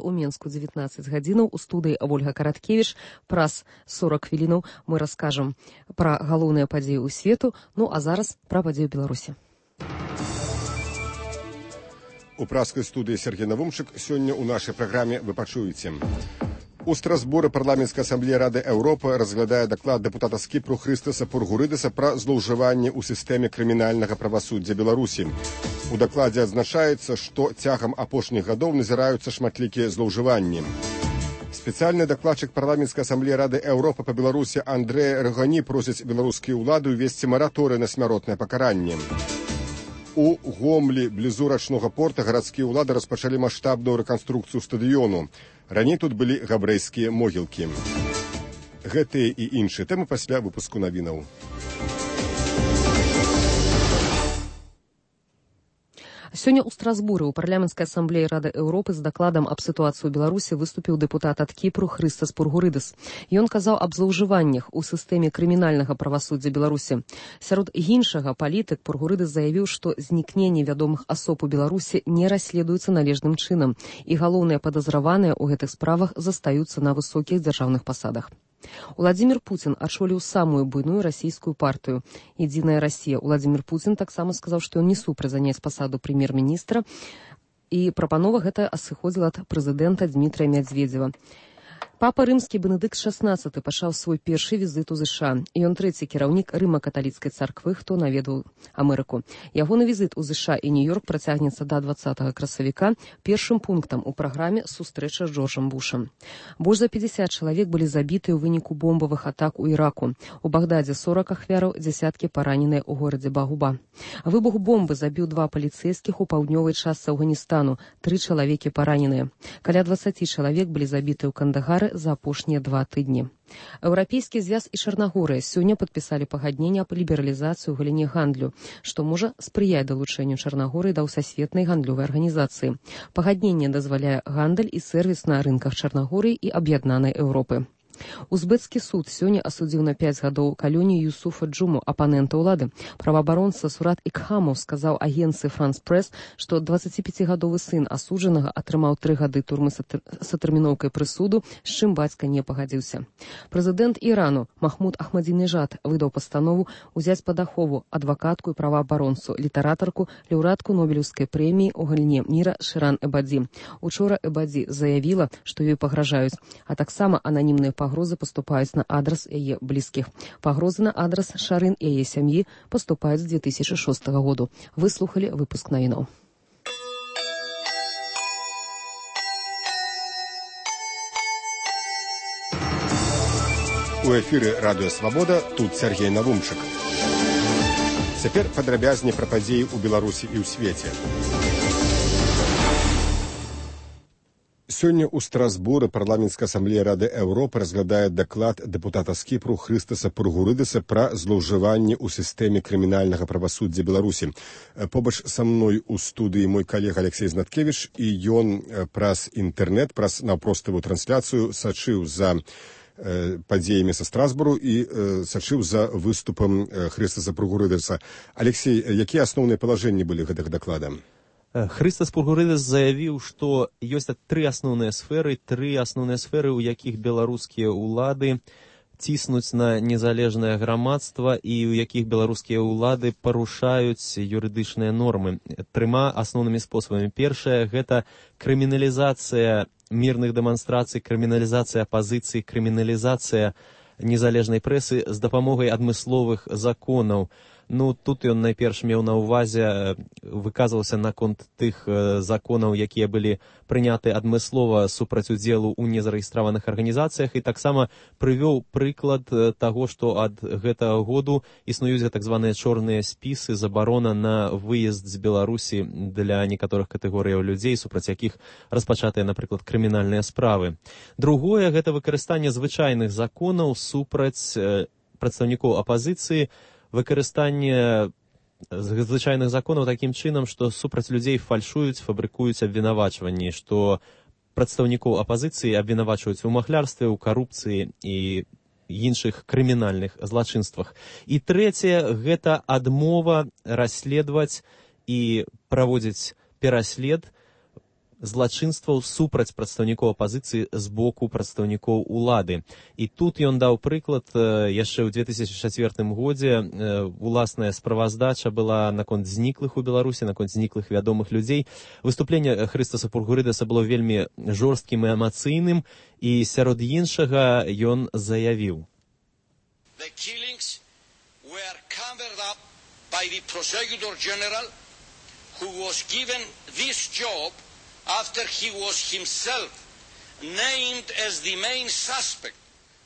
у Менску 19 гадзінаў. У студыі Ольга Караткевіч. Праз 40 хвілінаў мы раскажам пра галоўныя падзеі ў свету. Ну а зараз пра падзеі Беларусі. У праскай студыі Сергей Навумчык. Сёння ў нашай праграме вы пачуеце. У Страсбуры парламенцкая асамблея Рады Еўропы разглядае даклад дэпутата з Кіпру Хрыстаса Пургурыдаса пра злоўжыванне ў сістэме крымінальнага правасуддзя Беларусі. У дакладзе адзначаецца, што цягам апошніх гадоў назіраюцца шматлікія злоўжыванні. Спецыяльны дакладчык парламенцкай асамблеі Рады Еўропы па Беларусі Андрэй Рагані просіць беларускія ўлады ўвесці мараторый на смяротнае пакаранне. У Гомлі, блізу рачнога порта, гарадскія ўлады распачалі маштабную рэканструкцыю стадыёну. Раней тут былі габрэйскія могілкі. Гэтыя і іншыя тэмы пасля выпуску навінаў. Сёння ў Страсбуры ў парламенцкай асамблеі Рады Еўропы з дакладам аб сітуацыі ў Беларусі выступіў дэпутат ад Кіпру Хрыстас Пургурыдас. Ён казаў аб злоўжываннях у сістэме крымінальнага правасуддзя Беларусі. Сярод іншага палітык Пургурыдас заявіў, што знікненне вядомых асоб у Беларусі не расследуецца належным чынам, і галоўныя падазраваныя ў гэтых справах застаюцца на высокіх дзяржаўных пасадах. Владимир Путин очоліў самую буйную расійскую партыю «Единая Россия». Владимир Путин таксама сказаў, што ён не супраць заняць пасаду прэм'ер-міністра, і прапанова гэта сыходзіла ад прэзідэнта Дмітрия Медведева. Папа рымскі Бенедыкт XVI пачаў свой першы візіт у ЗША, і ён трэці кіраўнік рыма-каталіцкай царквы, хто наведаў Амерыку. Ягоны візіт у ЗША і Нью-Йорк працягнецца да 20 красавіка. Першым пунктам у праграме сустрэча з Джорджам Бушам. Больш за 50 чалавек былі забітыя ў выніку бомбавых атак у Іраку. У Багдадзе 40 ахвяраў, дзясяткі параненыя ў горадзе Багуба. Выбух бомбы забіў 2 паліцэйскіх у паўднёвай частцы Афганістану, 3 чалавекі параненыя. Каля 20 чалавек былі забітыя ў Кандагары за апошнія 2 тыдні. Еўрапейскі звяз і Чарнагорыя сёння падпісалі пагадненне аб лібералізацыі ў галіне гандлю, што можа спрыяць далучэнню Чарнагорыі да ўсасветнай гандлёвай арганізацыі. Пагадненне дазваляе гандаль і сэрвіс на рынках Чарнагорыі і аб'яднанай Еўропы. Узбецкі суд сёння асудзіў на 5 гадоў калёнію Юсуфа Джуму, апанента ўлады. Праваабаронца Сурат Икхамов сказаў агенцыі «Франс Прэс», што 25-гадовы сын асуджанага атрымаў 3 гады турмы з атэрміноўкай прысуду, з чым бацька не пагадзіўся. Прэзідэнт Ірану Махмуд Ахмадзінежад выдаў пастанову ўзяць пад ахову адвакатку і праваабаронцу, літаратарку, лаўрэатку Нобелеўскай прэміі ў галіне міра Шыран Эбадзі. Учора Эбадзі заявіла, што ёй пагражаюць, а таксама ананімныя пагрозы паступаюць на адрас яе блізкіх. Пагрозы на адрас Шарын і яе сям'і паступаюць з 2006 году. Вы слухалі выпуск навінаў. У эфіры Радыё Свабода, тут Сергей Навумчык. Цяпер падрабязней пра падзеі ў Беларусі і ў свеце. Сёння ў Страсбуры парламенцкая асамблея Рады Еўропы разглядае даклад дэпутата з Кіпру Хрыстаса Пургурыдаса пра злоўжыванне ў сістэме крымінальнага правасуддзя Беларусі. Побач са мной у студыі мой калега Алексей Знаткевіч, і ён праз інтэрнэт, праз наўпроставую трансляцыю сачыў за падзеямі са Страсбуру і сачыў за выступам Хрыстаса Пургурыдаса. Алексей, якія асноўныя палажэнні былі гэтага даклада? Хрыстас Пургурыдас заявіў, што ёсць 3 асноўныя сферы, у якіх беларускія ўлады ціснуць на незалежнае грамадства і ў якіх беларускія ўлады парушаюць юрыдычныя нормы 3 асноўнымі спосабамі. Першае – гэта крыміналізацыя мірных дэманстрацый, крыміналізацыя апазіцыі, крыміналізацыя незалежнай прэсы з дапамогай адмысловых законаў. Ну, тут ён найперш меў на ўвазе, выказваўся наконт тых законаў, якія былі прыняты адмыслова супраць удзелу ў незарэгістраваных арганізацыях, і таксама прывёў прыклад таго, што ад гэтага году існуюць так званыя чорныя спісы, забарона на выезд з Беларусі для некаторых катэгорыяў людзей, супраць якіх распачатыя, напрыклад, крымінальныя справы. Другое – гэта выкарыстанне звычайных законаў супраць прадстаўнікоў апазіцыі, выкарыстанне звычайных законаў такім чынам, што супраць людзей фальшуюць, фабрыкуюць абвінавачванні, што прадстаўнікоў апазіцыі абвінавачваюць у махлярстве, у карупцыі і іншых крымінальных злачынствах. І трэцяе – гэта адмова расследаваць і праводзіць пераслед злачынстваў супраць прадстаўнікоў апазіцыі з боку прадстаўнікоў улады. І тут ён даў прыклад, яшчэ ў 2004 годзе уласная справаздача была наконт зніклых у Беларусі, наконт зніклых вядомых людзей. Выступленне Хрыстаса Пургурыдаса было вельмі жорсткім і эмацыйным, і сярод іншага ён заявіў: The killings were covered up by the Prosecutor General, who was given this job after he was himself named as the main suspect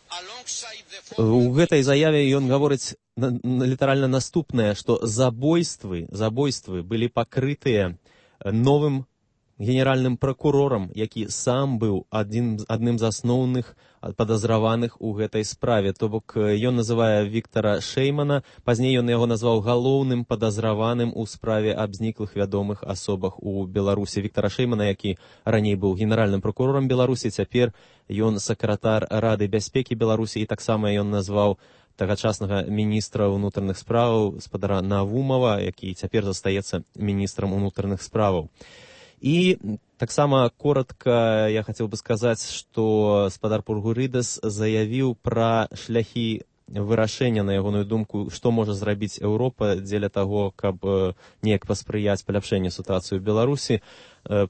alongside the... У гэтай заяве ён гаворыць літаральна наступнае, што забойствы былі пакрытыя новым генеральным прокурорам, які сам быў адным з асноўных падазраваных у гэтай справе. То бок ён называе Віктара Шэймана, пазней ён яго назваў галоўным падазраваным у справе аб зніклых вядомых асобах у Беларусі. Віктара Шэймана, які раней быў генеральным прокурорам Беларусі, цяпер ён сакратар Рады бяспекі Беларусі, і таксама ён назваў тагачаснага міністра ўнутраных справаў спадара Навумова, які цяпер застаецца міністрам унутраных справаў. І таксама коротка я хацеў бы сказаць, што спадар Пургурыдас заявіў пра шляхі вырашэння, на ягоную думку, што можа зрабіць Еўропа дзеля таго, каб неяк паспрыяць паляпшэнню сітуацыі ў Беларусі.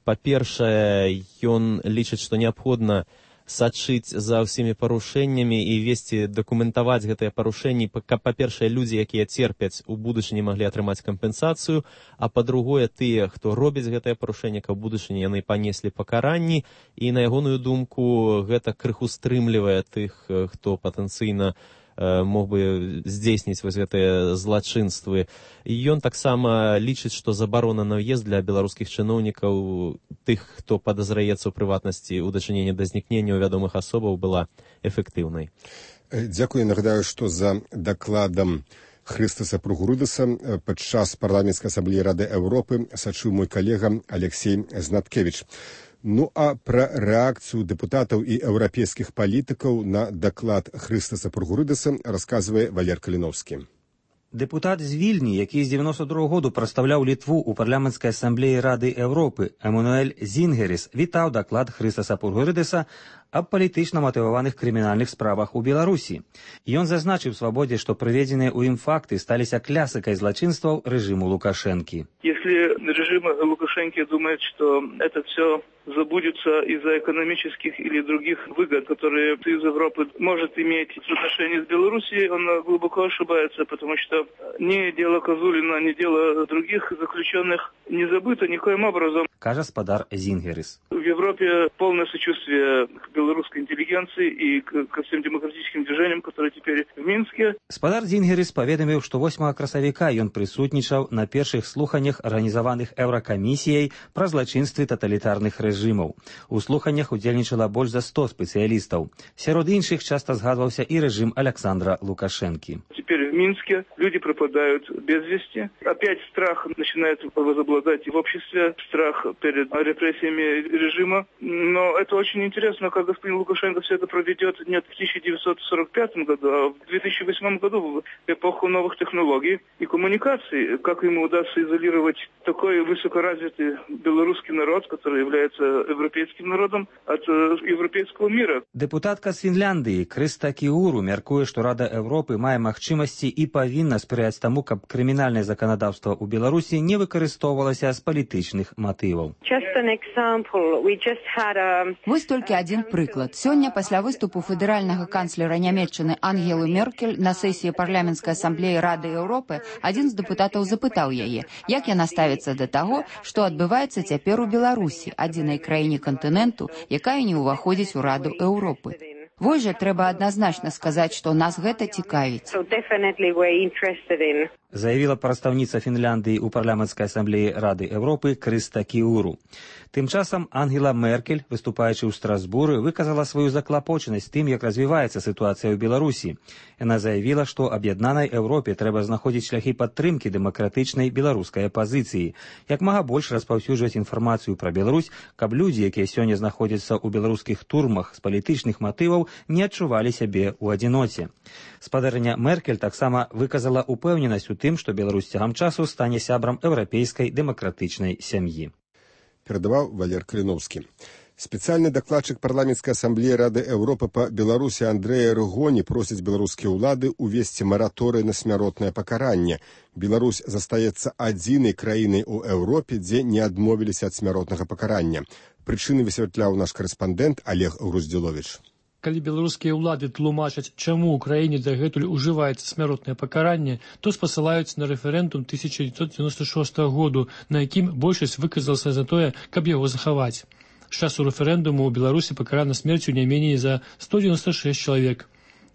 Па-першае, ён лічыць, што неабходна сачыць за ўсімі парушэннямі і весці, дакументаваць гэтыя парушэнні, каб, па-першае, людзі, якія церпяць, у будучыні маглі атрымаць кампенсацыю, а па-другое, тыя, хто робіць гэтае парушэнне, каб у будучыні яны панеслі пакаранні, і, на ягоную думку, гэта крыху стрымлівае тых, хто патэнцыйна мог бы здзейсніць вось гэтыя злачынствы. І ён таксама лічыць, што забарона на ўезд для беларускіх чыноўнікаў, тых, хто падазраецца ў прыватнасці ў дачыненні да знікнення вядомых асобаў, была эфектыўнай. Дзякую. Нагадаю, што за дакладам Хрыстаса Пургурыдаса падчас парламенцкай асамблеі Рады Еўропы сачыў мой калега Алексей Знаткевич. Ну а пра рэакцыю дэпутатаў і еўрапейскіх палітыкаў на даклад Хрыстаса Пургурыдаса расказвае Валер Каліноўскі. Дэпутат з Вільні, які з 92 году прадстаўляў Літву ў парламенцкай асамблеі Рады Еўропы, Эмануэль Зінгеріс, вітаў даклад Хрыстаса Пургурыдаса аб палітычна матываваных крымінальных справах у Беларусі. Ён зазначыў свабодзе, што прыведзеныя ў ім факты сталіся клясыкай злачынстваў рэжыму Лукашэнкі. Если режим Лукашенко думает, что это все забудется из-за экономических или других выгод, которые Союз Европы может иметь в отношении с Белоруссией, он глубоко ошибается, потому что ни дело Козулина, ни дело других заключенных не забыто никоим образом. Кажа спадар Зінгеріс. В Европе полное сочувствие к белорусской интеллигенции и ко всем демократическим движениям, которые теперь в Минске. Спадар Зінгеріс паведаміў, што 8 красавіка ён прысутнічаў на першых слуханнях, арганізаваных Еўракамісіяй пра злачынствы таталітарных рэжымаў. У слуханнях удзельнічала больш за 100 спецыялістаў. Сярод іншых часта згадваўся і рэжым Александра Лукашэнкі. Теперь в Минске люди пропадают без вести. Опять страх начинает возобладать в обществе, страх перед репрессиями режима. Но это очень интересно, как господин Лукашенко все это проведет не в 1945 году, а в 2008 году, в эпоху новых технологий и коммуникаций. Как ему удастся изолировать такой высокоразвитый белорусский народ, который является европейским народом, от европейского мира. Дэпутатка з Фінляндыі Крыста Кіуру мяркуе, што Рада Еўропы мае магчымасці і павінна спрыяць таму, каб крымінальнае заканадаўства ў Беларусі не выкарыстоўвалася з палітычных матываў. Вось толькі адзін прыклад. Сёння пасля выступу федэральнага канцлера Нямецчыны Ангелы Меркель на сесіі парламенцкай асамблеі Рады Еўропы адзін з дэпутатаў запытаў яе, як яна ставіцца да таго, што адбываецца цяпер у Беларусі, адзінай краіне кантыненту, якая не ўваходзіць у Раду Еўропы. Вось жа трэба адназначна сказаць, што нас гэта цікавіць. Заявіла прадстаўніца Фінляндыі ў парламенцкай асамблеі Рады Еўропы Крыста Кіуру. Тым часам Ангела Меркель, выступаючы ў Страсбуры, выказала сваю заклапочанасць тым, як развіваецца сітуацыя ў Беларусі. Яна заявіла, што аб'яднанай Еўропе трэба знаходзіць шляхі падтрымкі дэмакратычнай беларускай апазіцыі, як мага больш распаўсюджваць інфармацыю пра Беларусь, каб людзі, якія сёння знаходзяцца ў беларускіх турмах з палітычных матываў, не адчувалі сябе ў адзіноце. Спадарыня Меркель таксама выказала упэўненасць у тым, што Беларусь цягам часу стане сябрам еўрапейскай дэмакратычнай сям'і. перадаваў Валер Каліновскі. Спецыяльны дакладчык парламенцкай асамблеі Рады Еўропы па Беларусі Андрэя Рыгоні просіць беларускія ўлады увесці мараторый на смяротнае пакаранне. Беларусь застаецца адзінай краінай у Еўропе, дзе не адмовіліся ад смяротнага пакарання. Прычыны высвятляў наш карэспандэнт Олег Груздзіловіч. Калі беларускія ўлады тлумачаць, чаму ў краіне дагэтуль ужываецца смяротнае пакаранне, то спасылаюцца на рэферэндум 1996 году, на якім большасць выказалася за тое, каб яго захаваць. З часу рэферэндуму ў Беларусі пакарана смерцю не меней за 196 чалавек.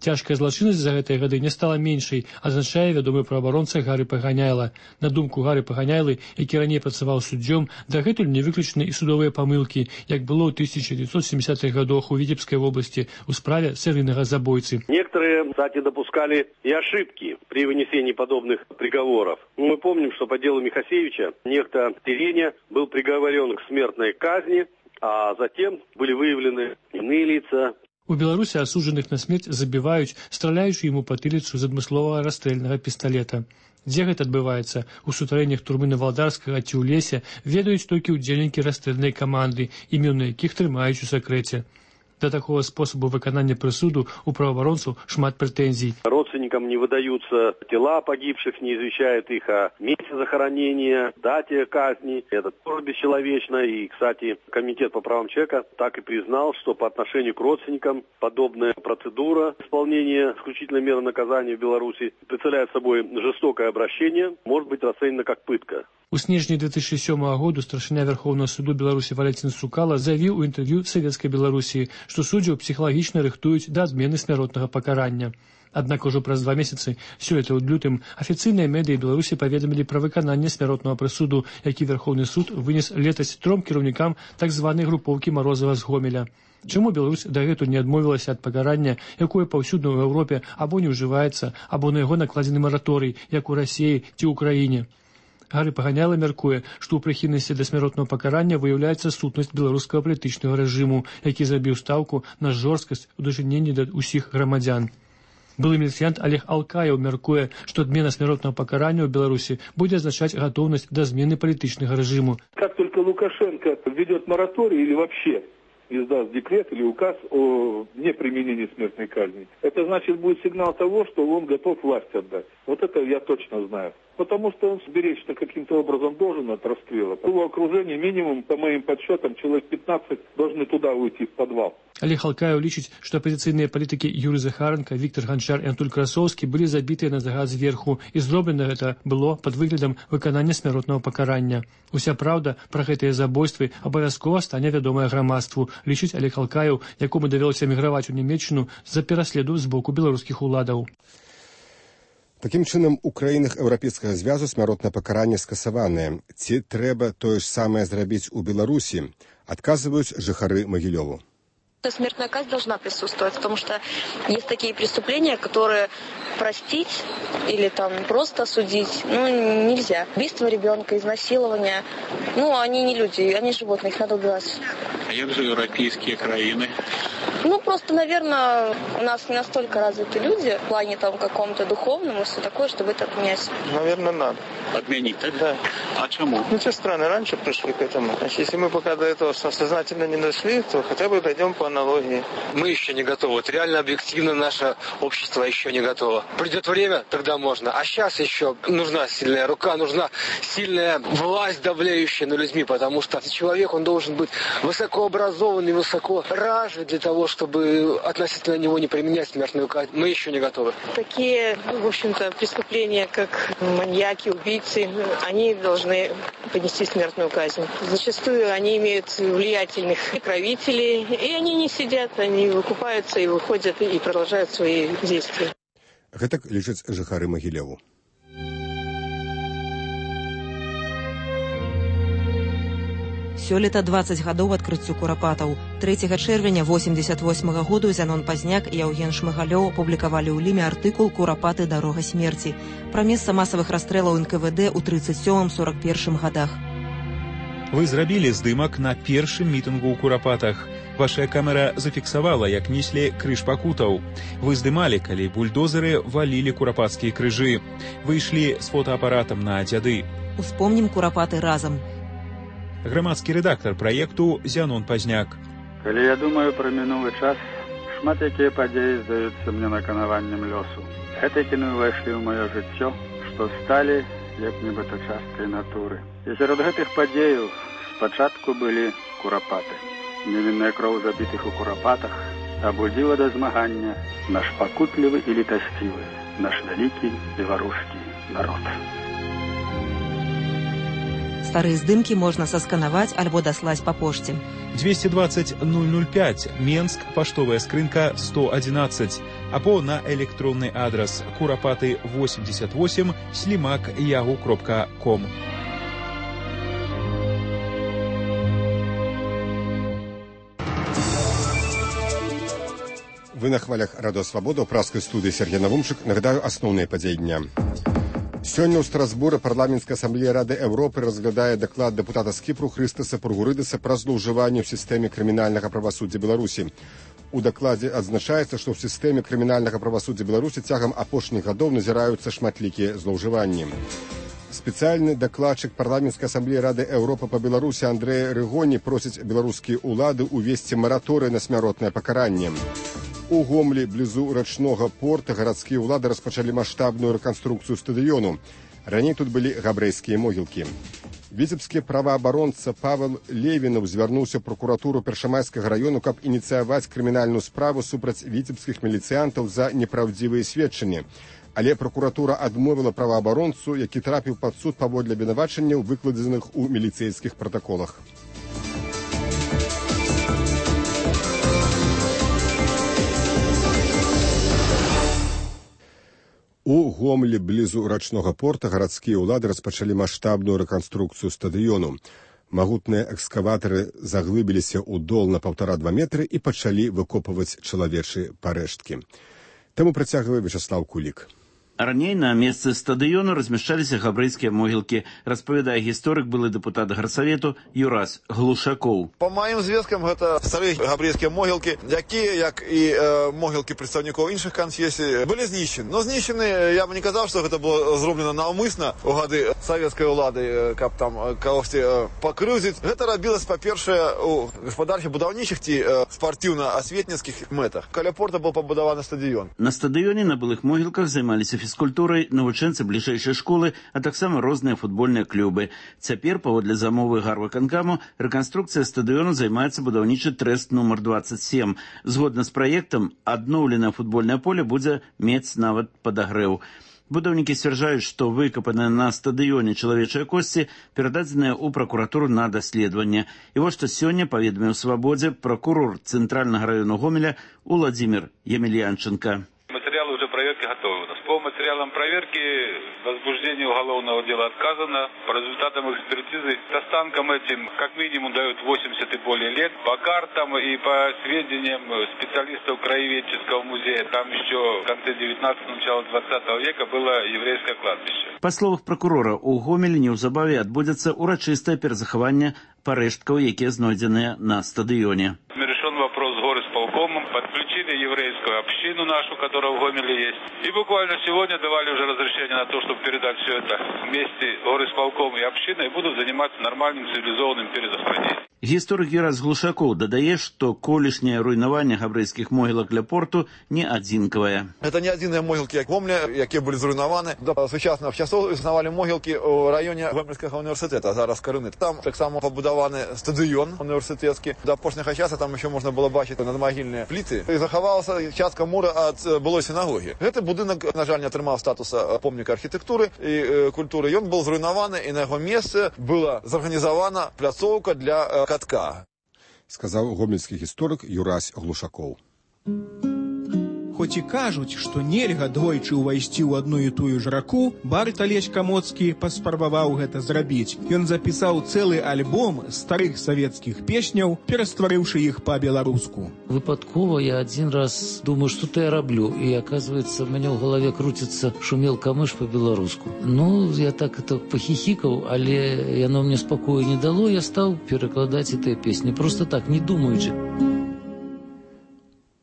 Цяжкая злачыннасць за гэтыя гады не стала меншай, азначае вядомы праваабаронца Гары Паганяйла. На думку Гары Паганяйлы, які раней працаваў суддзём, дагэтуль не выключаны і судовыя памылкі, як было ў 1970-х годах у Витебской области у справе серийного забойцы. Некоторые, кстати, допускали и ошибки при вынесении подобных приговоров. Мы помним, что по делу Михасевича некто Тереня был приговорен к смертной казни, а затем были выявлены иные лица. У Беларусі асуджаных на смерць забіваюць, страляючы ему патыліцу з адмысловага расстрэльнага пісталета. Дзе гэта адбываецца? У сутарэннях турмы Навалдарскага ці ў лесе ведаюць толькі ўдзельнікі расстрэльнай каманды, імёны якіх трымаюць у сакрэце. До такого способу выканання прысуду у правоабаронцаў шмат прэтэнзій. Родственникам не выдаются тела погибших, не извещают их о месте захоронения, дате казни. Это тоже бесчеловечно. И, кстати, Комитет по правам человека так и признал, что по отношению к родственникам подобная процедура исполнения исключительной меры наказания в Беларуси представляет собой жестокое обращение, может быть расценена как пытка. У снежні 2007 году старшыня Верховного суду Беларусі Валентин Сукала заявіў у інтэрв'ю Савецкай Беларусі, што суддзяў псіхалагічна рыхтуюць да адмены смяротнага пакарання. Аднак ужо праз 2 месяцы, сёлета ў лютым, афіцыйныя медыі Беларусі паведамілі пра выкананне смяротнага прысуду, які Верховны суд вынес летась 3 кіраўнікам так званай групоўкі Марозава з Гомеля. Чаму Беларусь дагэтуль не адмовілася ад пакарання, якое паўсюдна ў Еўропе або не ўжываецца, або на яго накладзены мараторый, як у Расіі ці ў краіне? Гары Паганяйла мяркуе, што ў прыхільнасці да смяротнага пакарання выяўляецца сутнасць беларускага палітычнага рэжыму, які зрабіў стаўку на жорсткасць у дачыненні да ўсіх грамадзян. Былы міліцыянт Олег Алкаев мяркуе, што адмена смяротнага пакарання ў Беларусі будзе азначаць гатоўнасць да змены палітычнага рэжыму. Как только Лукашенко введет мораторий или вообще издаст декрет или указ о неприменении смертной казни, это значит будет сигнал того, что он готов власть отдать. Вот это я точно знаю. Потому что он сберечься каким-то образом должен от расстрела. В его окружении минимум, по моим подсчетам, человек 15 должны туда уйти, в подвал. Олег Алкаев лічыць, што апазіцыйныя палітыкі Юрый Захаренко, Віктор Ганчар і Антуль Красоўскі былі забітыя на загад зверху, і зроблена гэта было пад выглядам выканання смяротнага пакарання. Уся праўда пра гэтыя забойствы абавязкова стане вядомая грамадству, лічыць Олег Алкаев, якому давялося эміграваць у Нямецчыну з-за пераследу з боку беларускіх уладаў. Такім чынам, у краінах Еўрапейскага звязу смяротнае пакаранне скасаванае. Ці трэба тое ж самае зрабіць у Беларусі? Адказваюць жыхары Магілёву. Смертная казнь должна присутствовать, потому что есть такие преступления, которые простить или там просто осудить, нельзя. Убийство ребенка, изнасилование, они не люди, они животные, их надо убивать. А як же европейские краины? Просто, наверное, у нас не настолько развиты люди в плане там каком-то духовном и все такое, чтобы это отменять. Наверное, надо. Отменить, так? Да. А чему? Те страны раньше пришли к этому. Значит, если мы пока до этого сознательно не дошли, то хотя бы дойдем по аналогии. Мы еще не готовы. Вот реально, объективно наше общество еще не готово. Придет время, тогда можно. А сейчас еще нужна сильная рука, нужна сильная власть, давляющая над людьми, потому что человек, он должен быть высокообразованный, высокоразвит для того, чтобы относительно него не применять смертную казнь. Мы еще не готовы. Такие, в общем-то, преступления, как маньяки, убийцы, они должны понести смертную казнь. Зачастую они имеют влиятельных правителей, и они не сидят, они выкупаются и выходят и продолжают свои действия. Гэтак лічаць жыхары Магілёву. Сёлета 20 гадоў адкрыццю курапатаў. 3 чэрвеня 88 году Зянон Пазняк і Яўген Шмыгалёў апублікавалі ў Ліме артыкул «Курапаты. Дарога смерці» пра месца масавых расстрэлаў НКВД ў 37-41 гадах. Вы зрабілі здымак на першым мітынгу ў Курапатах. Ваша камера зафіксавала, як неслі крыж пакутаў. Вы здымалі, калі бульдозеры валілі курапацкія крыжы. Вы ішлі з фотоапаратам на дзяды. Успомнім Курапаты разам. Грамадскі рэдактар праекту Зянон Пазняк. Калі я думаю пра мінулы час, шмат якія падзеі здаюцца мне наканаваннем лёсу. Гэтыя кіны ўвайшлі ў маё жыццё, што сталі як нібыта часткай натуры. І сярод гэтых падзеяў спачатку былі курапаты. Невінная кроў забітых у курапатах абудзіла да змагання наш пакутлівы і літасцівы, наш вялікі беларускі народ. Старыя здымкі можна сасканаваць альбо даслаць па пошце. 220 005, Менск, паштовая скрынка 111, або на электронны адрас kurapaty88@yahoo.com. Вы на хвалях Радио Свобода, у праскай студыі Сергей Навумчык. Нагадаю асноўныя падзеі дня. Сёння ў Страсбуры парламенцкая асамблея Рады Еўропы разглядае даклад дэпутата з Кіпру Хрыстаса Пургурыдаса пра злоўжыванне ў сістэме крымінальнага правасуддзя Беларусі. У дакладзе адзначаецца, што ў сістэме крымінальнага правасуддзя Беларусі цягам апошніх гадоў назіраюцца шматлікія злоўжыванні. Спецыяльны дакладчык парламенцкай асамблеі Рады Еўропы па Беларусі Андрэй Рыгоні просіць беларускія ўлады ўвесці мараторый на смяротнае пакаранне. У Гомлі, блізу рачнога порта, гарадскія ўлады распачалі маштабную рэканструкцыю стадыёну. Раней тут былі габрэйскія могілкі. Віцебскі праваабаронца Павел Левінаў звярнуўся ў пракуратуру Першамайскага раёну, каб ініцыяваць крымінальную справу супраць віцебскіх міліцыянтаў за непраўдзівыя сведчанні. Але пракуратура адмовіла праваабаронцу, які трапіў пад суд паводле абвінавачанняў, выкладзеных у міліцэйскіх пратаколах. У Гомлі, блізу рачнога порта, гарадскія ўлады распачалі маштабную рэканструкцыю стадыёну. Магутныя экскаватары заглыбіліся ў дол на 1,5–2 метры і пачалі выкопваць чалавечыя парэшткі. Таму працягвае Вячаслав Кулік. Раней на месцы стадыёну размяшчаліся габрэйскія могілкі, распавядае гісторык, былы дэпутат гарсавету Юрась Глушакоў. По маім звесткам, гэта старыя габрэйскія могілкі, якія, як і могілкі прадстаўнікоў іншых канфесій, былі знішчаны. Но знішчаны, я бы не казаў, што гэта было зроблена наўмысна ў гады савецкай улады, каб там кагосьці пакрыўдзіць. Гэта рабілася, па-першае, у гаспадарчых будаўнічых ці спартыўна-асветніцкіх мэтах. Каля порта быў пабудаваны стадыён. На стадыёне на былых могілках займаліся фізкультурай навучэнцы бліжэйшай школы, а таксама розныя футбольныя клубы. Цяпер, паводле замовы гарвыканкаму, рэканструкцыя стадыёну займаецца будаўнічы трэст нумар 27. Згодна з праектам, адноўленае футбольнае поле будзе мець нават падагрэў. Будаўнікі сцвярджаюць, што выкапаныя на стадыёне чалавечыя косці перададзеныя ў пракуратуру на даследаванне. І вось што сёння паведаміў Свабодзе пракурор Цэнтральнага раёну Гомеля Уладзімір Емельянченко. Материалы уже проверки готовы у нас. По материалам проверки возбуждение уголовного дела отказано. По результатам экспертизы останкам этим как минимум дают 80 и более лет. По картам и по сведениям специалистов краеведческого музея, там еще в конце 19-го, начало 20 века было еврейское кладбище. Па словах прокурора, у Гомелі неўзабаве адбудзецца урачыстае перазахаванне парэшткаў, якія знойдзеныя на стадыёне. Решен вопрос с горисполкомом, подключили еврейскую общину нашу, которая в Гомеле есть. И буквально сегодня давали уже разрешение на то, чтобы передать все это вместе горисполком и общиной, и будут заниматься нормальным цивилизованным перезахоронением. Гісторык Юрась Глушакоў дадае, што колішняе руйнаванне габрэйскіх могілак ля порту не адзінкавае. Это не адзіныя могілкі, як Гомля, якія былі зруйнаваны. До сучасных часоў існавалі могілкі ў раёне Гомельскага універсітэта, зараз Карыны. Там таксама пабудаваны стадыён універсітэцкі. До апошняга часу там еще можна было бачыць надмагільныя пліты. І захавалася частка мура ад былой сінагогі. Гэты будынак, на жаль, не атрымаў статуса помніка архітэктуры і культуры. Ён был зруйнаваны, і на яго месцы была зарганізавана пляцоўка для катка. Сказаў гомельскі гісторык Юрась Глушакоў. Хоць і кажуць, што нельга двойчы ўвайсці ў адну і тую ж раку, Барт Алесь Камоцкі паспрабаваў гэта зрабіць. Ён запісаў цэлы альбом старых савецкіх песняў, перастварыўшы іх па-беларуску. Выпадкова я адзін раз думаю, што то я раблю, і аказваецца, у мяне ў галаве круціцца «Шумел камыш» па-беларуску. Ну, я так это пахіхікаў, але яно мне спакою не дало, я стаў перакладаць гэтыя песні, просто так, не думаючы.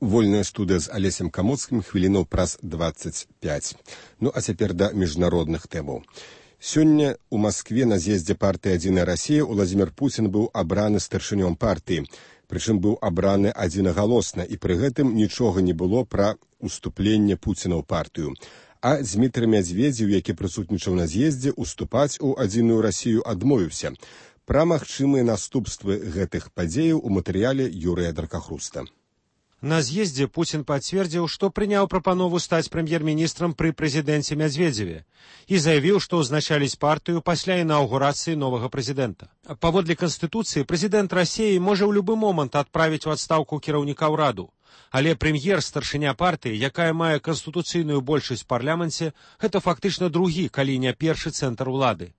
Вольная студыя з Алесем Камоцкім хвілінаў праз 25. Ну, а цяпер да міжнародных тэмаў. Сёння у Маскве на з'ездзе партыі «Адзіная Расія» Уладзімір Пуцін быў абраны старшынём партыі. Прычым быў абраны адзінагалосна, і пры гэтым нічога не было пра уступленне Пуціна ў партыю. А Дзмітрый Мядзведзеў, які прысутнічаў на з'ездзе, уступаць у «Адзіную Расію» адмовіўся. Пра магчымыя наступствы гэтых падзеяў у матэрыяле Юрыя Даркахруста. На з'ездзе Пуцін пацвердзіў, што прыняў прапанову стаць прэм'ер-міністрам пры прэзідэнце Мядзведзеве і заявіў, што ўзначаліць партыю пасля інаўгурацыі новага прэзідэнта. Паводле Канстытуцыі, прэзідэнт Расіі можа ў любы момант адправіць у адстаўку кіраўніка ўраду, але прэм'ер, старшыня партыі, якая мае канстытуцыйную большасць у парламенце, гэта фактычна другі, калі не першы цэнтр улады.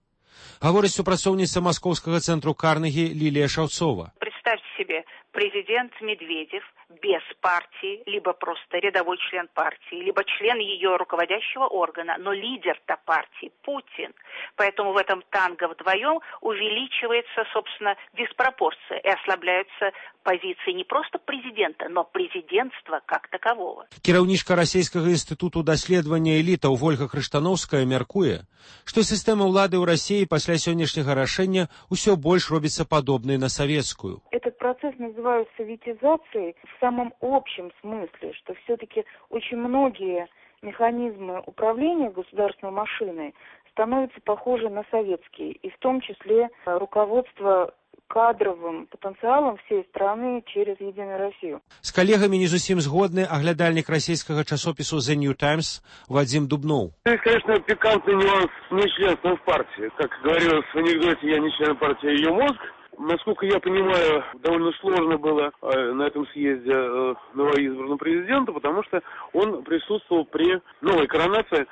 Гаворыць супрацоўніца маскоўскага цэнтру Карнегі Лілія Шаўцова. Представьте себе, президент Медведев без партии, либо просто рядовой член партии, либо член ее руководящего органа, но лидер-то партии Путин. Поэтому в этом танго вдвоем увеличивается, собственно, диспропорция и ослабляются позиции не просто президента, но президентства как такового. Кіраўнічка расійскага інстытуту даследавання элітаў Вольга Крыштановская мяркуе, што сістэма ўлады ў Расіі пасля сённяшняга рашэння ўсё больш робіцца падобнай на савецкую. Этот процесс называют советизацией в самом общем смысле, что все-таки очень многие механизмы управления государственной машиной становятся похожи на советские, и в том числе руководство кадровым потенциалом всей страны через «Единую Россию». С коллегами не зусім згодны оглядальник российского часопису The New Times Вадим Дубнов. Есть, конечно, пикантный нюанс нечленства в партии. Как говорилось в анекдоте, я не член партии, а ее мозг. Насколько я понимаю, довольно сложно было на этом съезде новоизбранному президенту, потому что он присутствовал при новой коронации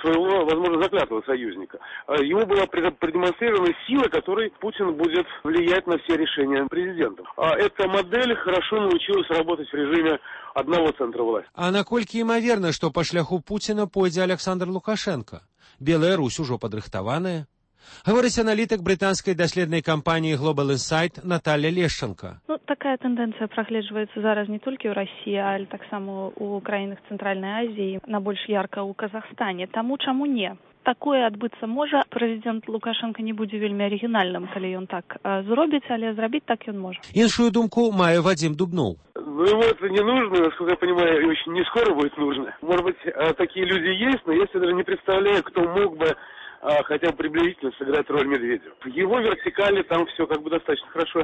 своего, возможно, заклятого союзника. Ему была продемонстрирована сила, которой Путин будет влиять на все решения президента. Эта модель хорошо научилась работать в режиме одного центра власти. А наколькі імаверна, што па шляху Пуціна пойдзе Александр Лукашенко? Белая Русь ужо падрыхтаваная. Говорить аналитик британской доследной компании Global Insight Наталья Лещенко. Такая тенденция прогледжваецца зараз не толькі ў Расіі, але таксама ў краінах Цэнтральнай Азіі, на больш ярка ў Казахстане. Таму чаму не? Такое адбыцца можа. Прэзідэнт Лукашенко не будзе вельмі арыгінальным, калі ён так зробіць, але зрабіць так ён можа. Іншую думку мае Вадим Дубнов. Ему это не нужно, насколько я понимаю, очень не скоро будет нужно. Может быть, такие люди есть, но я себе даже не представляю, кто мог бы хотя бы приблизительно сыграть роль Медведева. В его вертикали там все как бы достаточно хорошо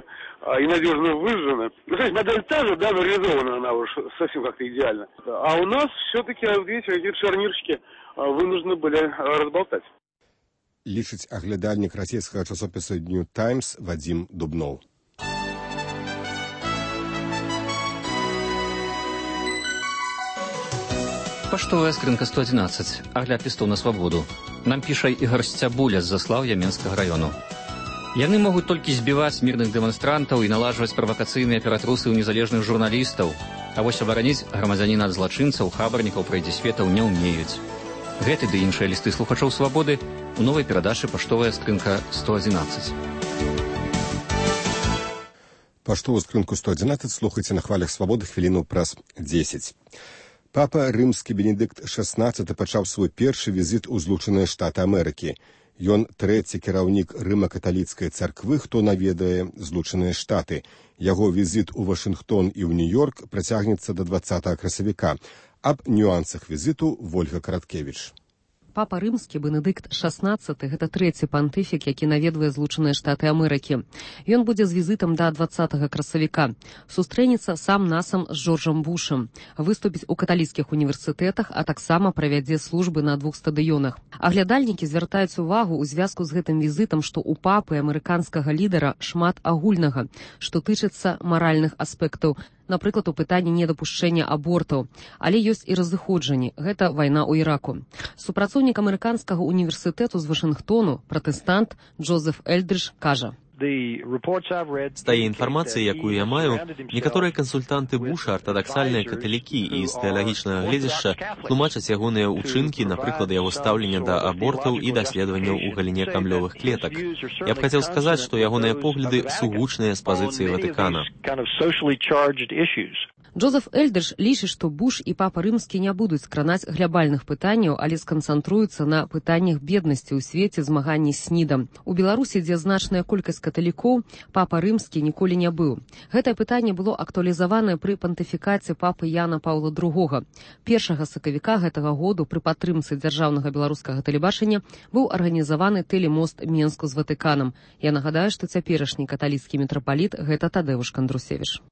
и надежно выжжено. Ну, то есть модель та же, да, но реализована она уж совсем как-то идеально. А у нас все-таки, видите, какие-то шарнирщики вынуждены были разболтать. Лічыць аглядальнік расійскага часопіса New Times Вадим Дубнов. Паштовая скрынка 111. Агляд лістоў на свабоду. Нам піша Ігор Сцябуля з Заслаўя Менскага раёну. Яны могуць толькі збіваць мірных дэманстрантаў і налажваць правакацыйныя ператрусы ў незалежных журналістаў, а вось абараніць грамадзяніна ад злачынцаў, хабарнікаў, прайдзісветаў не ўмеюць. Гэты ды іншыя лісты слухачоў свабоды у новай перадачы «Паштовая скрынка 111». Паштовую скрынку 111 слухайце на хвалях свабоды хвіліну праз 10. Папа рымскі Бенедыкт XVI пачаў свой першы візіт у Злучаныя Штаты Амерыкі. Ён трэці кіраўнік рыма-каталіцкай царквы, хто наведае Злучаныя Штаты. Яго візіт у Вашынгтон і ў Нью-Йорк працягнецца да 20 красавіка. Аб нюансах візіту Вольга Караткевіч. Папа рымскі Бенедыкт XVI – гэта трэці пантыфік, які наведвае Злучаныя Штаты Амерыкі. Ён будзе з візітам да 20 красавіка. Сустрэнецца сам-насам з Джорджам Бушам, выступіць у каталіцкіх універсітэтах, а таксама правядзе службы на 2 стадыёнах. Аглядальнікі звяртаюць увагу ў звязку з гэтым візітам, што ў папы амерыканскага лідара шмат агульнага, што тычыцца маральных аспектаў, напрыклад, у пытанні недапушчэння абортаў. Але ёсць і разыходжанні. Гэта вайна ў Іраку. Супрацоўнік амерыканскага універсітэту з Вашынгтону, пратэстант Джозеф Эльдридж, кажа: З тае інфармацыі, якую я маю, некаторыя кансультанты Буша, артадаксальныя каталікі і з тэалагічнага гледзяшча тлумачаць ягоныя ўчынкі, напрыклад, яго стаўлення да абортаў і даследаванняў у галіне камлёвых клетак. Я б хацеў сказаць, што ягоныя погляды сугучныя з пазіцыі Ватыкана. Джозеф Эльдрыш лічыць, што Буш і папа рымскі не будуць кранаць глябальных пытанняў, але сканцэнтруюцца на пытаннях беднасці ў свеце, змаганні з СНІДам. У Беларусі, дзе значная колькасць каталікоў, папа рымскі ніколі не быў. Гэтае пытанне было актуалізаванае пры пантыфікаце папы Яна Паўла II. 1 сакавіка гэтага году пры падтрымцы дзяржаўнага беларускага тэлебачання быў арганізаваны тэлемост Менску з Ватыканам. Я нагадаю, што цяперашні каталіцкі мітрапаліт гэта Тадеуш Кандрусевіч.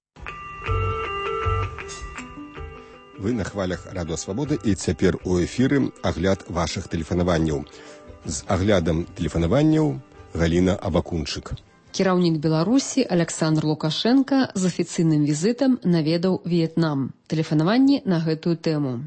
Вы на хвалях Радыё Свабода і цяпер у эфіры агляд вашых тэлефанаванняў. З аглядам тэлефанаванняў Галіна Абакунчык. Кіраўнік Беларусі Александр Лукашенко з афіцыйным візітам наведаў В'етнам. Тэлефанаванні на гэтую тэму.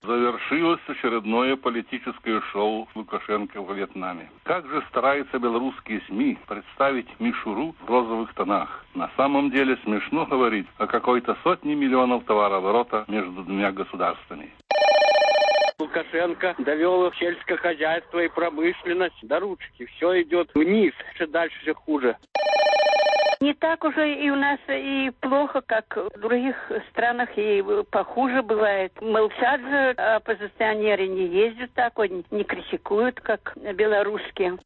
Завершилось очередное политическое шоу Лукашенко в Вьетнаме. Как же стараются белорусские СМИ представить мишуру в розовых тонах. На самом деле смешно говорить о какой-то сотне миллионов товарооборота между двумя государствами. Лукашенко довел сельское хозяйство и промышленность до ручки. Все идет вниз, все дальше все хуже. Не так уже и у нас и плохо, как в других странах, и похуже бывает. Молчат же, оппозиционеры не ездят так, не критикуют, как белорусские.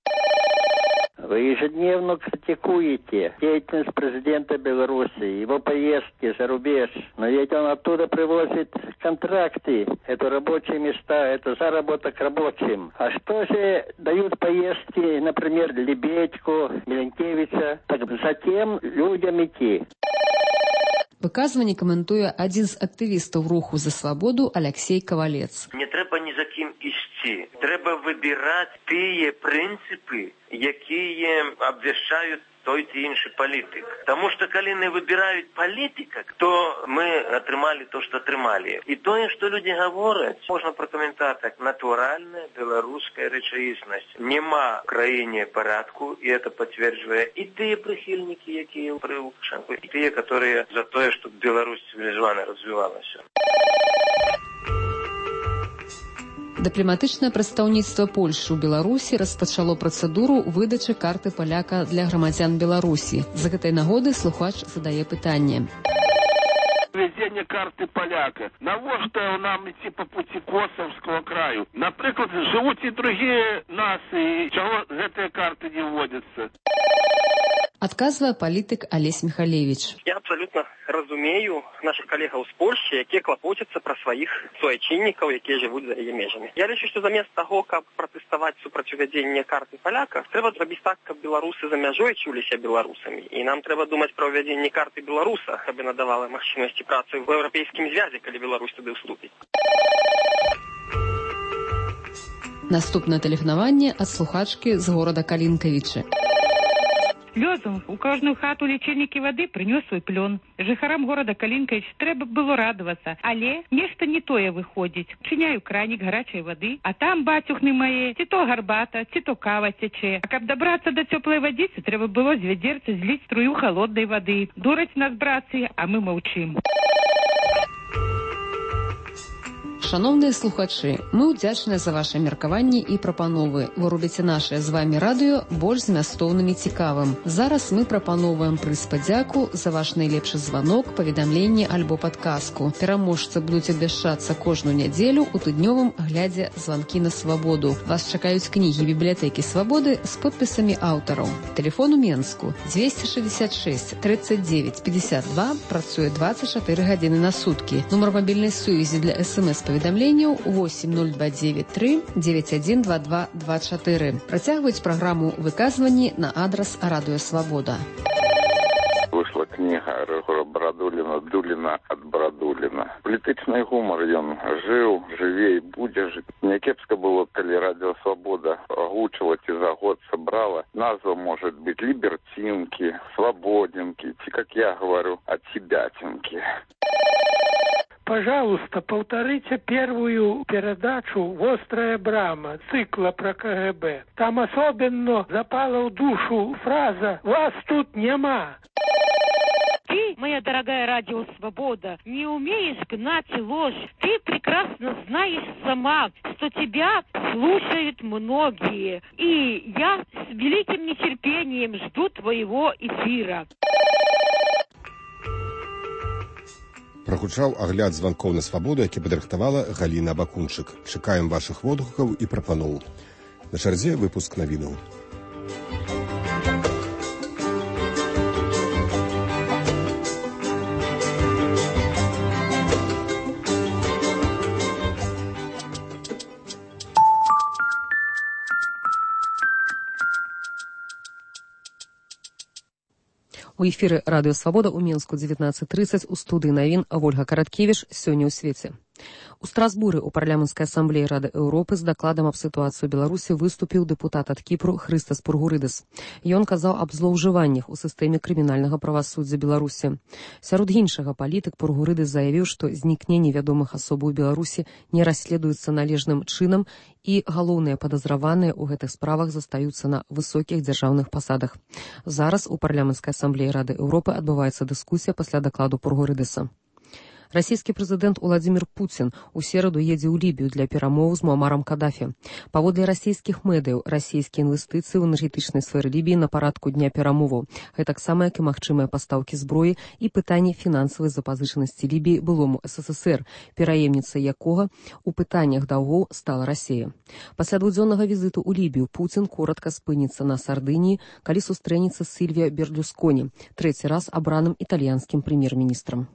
Вы ежедневно критикуете деятельность президента Беларуси, его поездки за рубеж. Но ведь он оттуда привозит контракты, это рабочие места, это заработок рабочим. А что же дают поездки, например, Лебедьку, Миленкевича, так затем людям идти? Выказванне каментуе адзін з актывістаў руху за свабоду Алексей Кавалец. Не трэба ні за кім ісці. Трэба выбіраць тыя прынцыпы, якія абвяшчаюць той ці іншы палітык. Таму што калі не выбіраюць палітыка, то мы атрымалі то, што атрымалі. І тое, што людзі гавораць, можна пракаментаваць так: натуральная беларуская рэчаіснасць. Нема в краіне парадку, і это пацверджвае і тыя прыхільнікі, якія пры Лукашэнку, і тыя, которые за тое, што Беларусь цывілізавана развівалася. Дыпламатычнае прадстаўніцтва Польшы ў Беларусі распачало працэдуру выдачы карты паляка для грамадзян Беларусі. З гэтай нагоды слухач задае пытанне. Введение карты поляка. Навошта нам идти по пути Косовского краю? Например, живут и другие нации. Чего этой карты не вводятся? Адказвае палітык Алесь Михалевич. Я абсолютно разумею наших калегаў з Польши, якія клапоцяцца пра сваіх суайчыннікаў, якія жывуць за яе межамі. Я лічу, што замест таго, каб пратэставаць супраць увядзення карты паляка, трэба зрабіць так, каб беларусы за мяжой чуліся беларусамі. І нам трэба думаць пра ўвядзенне карты беларуса, каб яна давала магчымасці працы в еўрапейскім звязе, калі Беларусь туды ўступіць. Наступнае тэлефанаванне ад слухачкі з горада Калінкавічы. Лёзу у кожную хату лічильнікі вады прынёс свой плён. Жыхарам горада Калінкавіч трэба было радавацца, але нешта не тое выходзіць. Чыняю кранік гарачай вады, а там, бацюхны мае, ці то гарбата, ці то кава цячэ. А каб дабрацца да цёплай вадзіцы, трэба было з вядзерца зліць струю халоднай вады. Дураць нас, братцы, а мы маўчым. Шановныя слухачы, мы ўдзячныя за ваши меркаванні і прапановы. Вы робіце нашае з вами радыё больш змястоўным і цікавым. Зараз мы прапановваем прыз падзяку за ваш найлепшы званок, паведамленне альбо падказку. Пераможцы будуць абвяшчацца кожную нядзелю у тыднёвым аглядзе «Званкі на свабоду». Вас чакаюць кнігі бібліятэкі свабоды з подпісамі аўтараў. Тэлефон у Менску 266 39 52, працуе 24 гадзіны на суткі. Нумар мабільнай сувязі для СМС-паведамленняў 80293 912224. Працягваюць праграму выказванні на адрас Радыё Свабода. Вышла книга Рыгора Брадуліна «Дуліна ад Брадуліна». Палітычны гумар ён жыў, жыве і будзе жыць. Някепска было, калі Радыё Свабода агучыла ці за год сабрала. Назва может быть «Либертинки», «Свободенки», ці, как я говорю, «Отсебятинки». Пожалуйста, повторите первую передачу «Вострая брама» цикла про КГБ. Там особенно запала в душу фраза «Вас тут нема». Ты, моя дорогая Радио Свобода, не умеешь гнать ложь. Ты прекрасно знаешь сама, что тебя слушают многие. И я с великим нетерпением жду твоего эфира. Прагучаў агляд званкоў на свабоду, які падрыхтавала Галіна Бакунчык. Чакаем вашых водгукаў і прапаноў. На чарзе выпуск навінаў. У эфіры радыё «Свабода» ў Менску 19:30 у студыі навін Вольга Караткевіч сёння ў свеце. У Страсбуры ў парламенцкай асамблеі Рады Еўропы з дакладам аб сітуацыі ў Беларусі выступіў дэпутат ад Кіпру Хрыстас Пургурыдыс. Ён казаў аб злоўжываннях у сістэме крымінальнага правасуддзя Беларусі. Сярод іншага палітык Пургурыдыс заявіў, што знікненне вядомых асобаў у Беларусі не расследуецца належным чынам і галоўныя падазраваныя ў гэтых справах застаюцца на высокіх дзяржаўных пасадах. Зараз у парламенцкай асамблеі Рады Еўропы адбываецца дыскусія пасля дакладу Пургурыдыса. Расійскі прэзідэнт Уладзімір Пуцін у сераду едзе ў Лібію для перамоў з Муамарам Кадафі. Паводле расійскіх медыяў, расійскія інвестыцыі ў энергетычнай сферы Лібіі на парадку дня перамоваў. Гэтаксама, як і магчымыя пастаўкі зброі і пытанне фінансавай запазычанасці Лібіі былому СССР, пераемніцай якога у пытаннях даўгоў стала Расія. Пасля двухдзённага візіту ў Лібію Пуцін коратка спыніцца на Сардыніі, калі сустрэнецца з Сільвіа Берлюсконі, трэці раз абраным італьянскім прэм'ер-міністрам.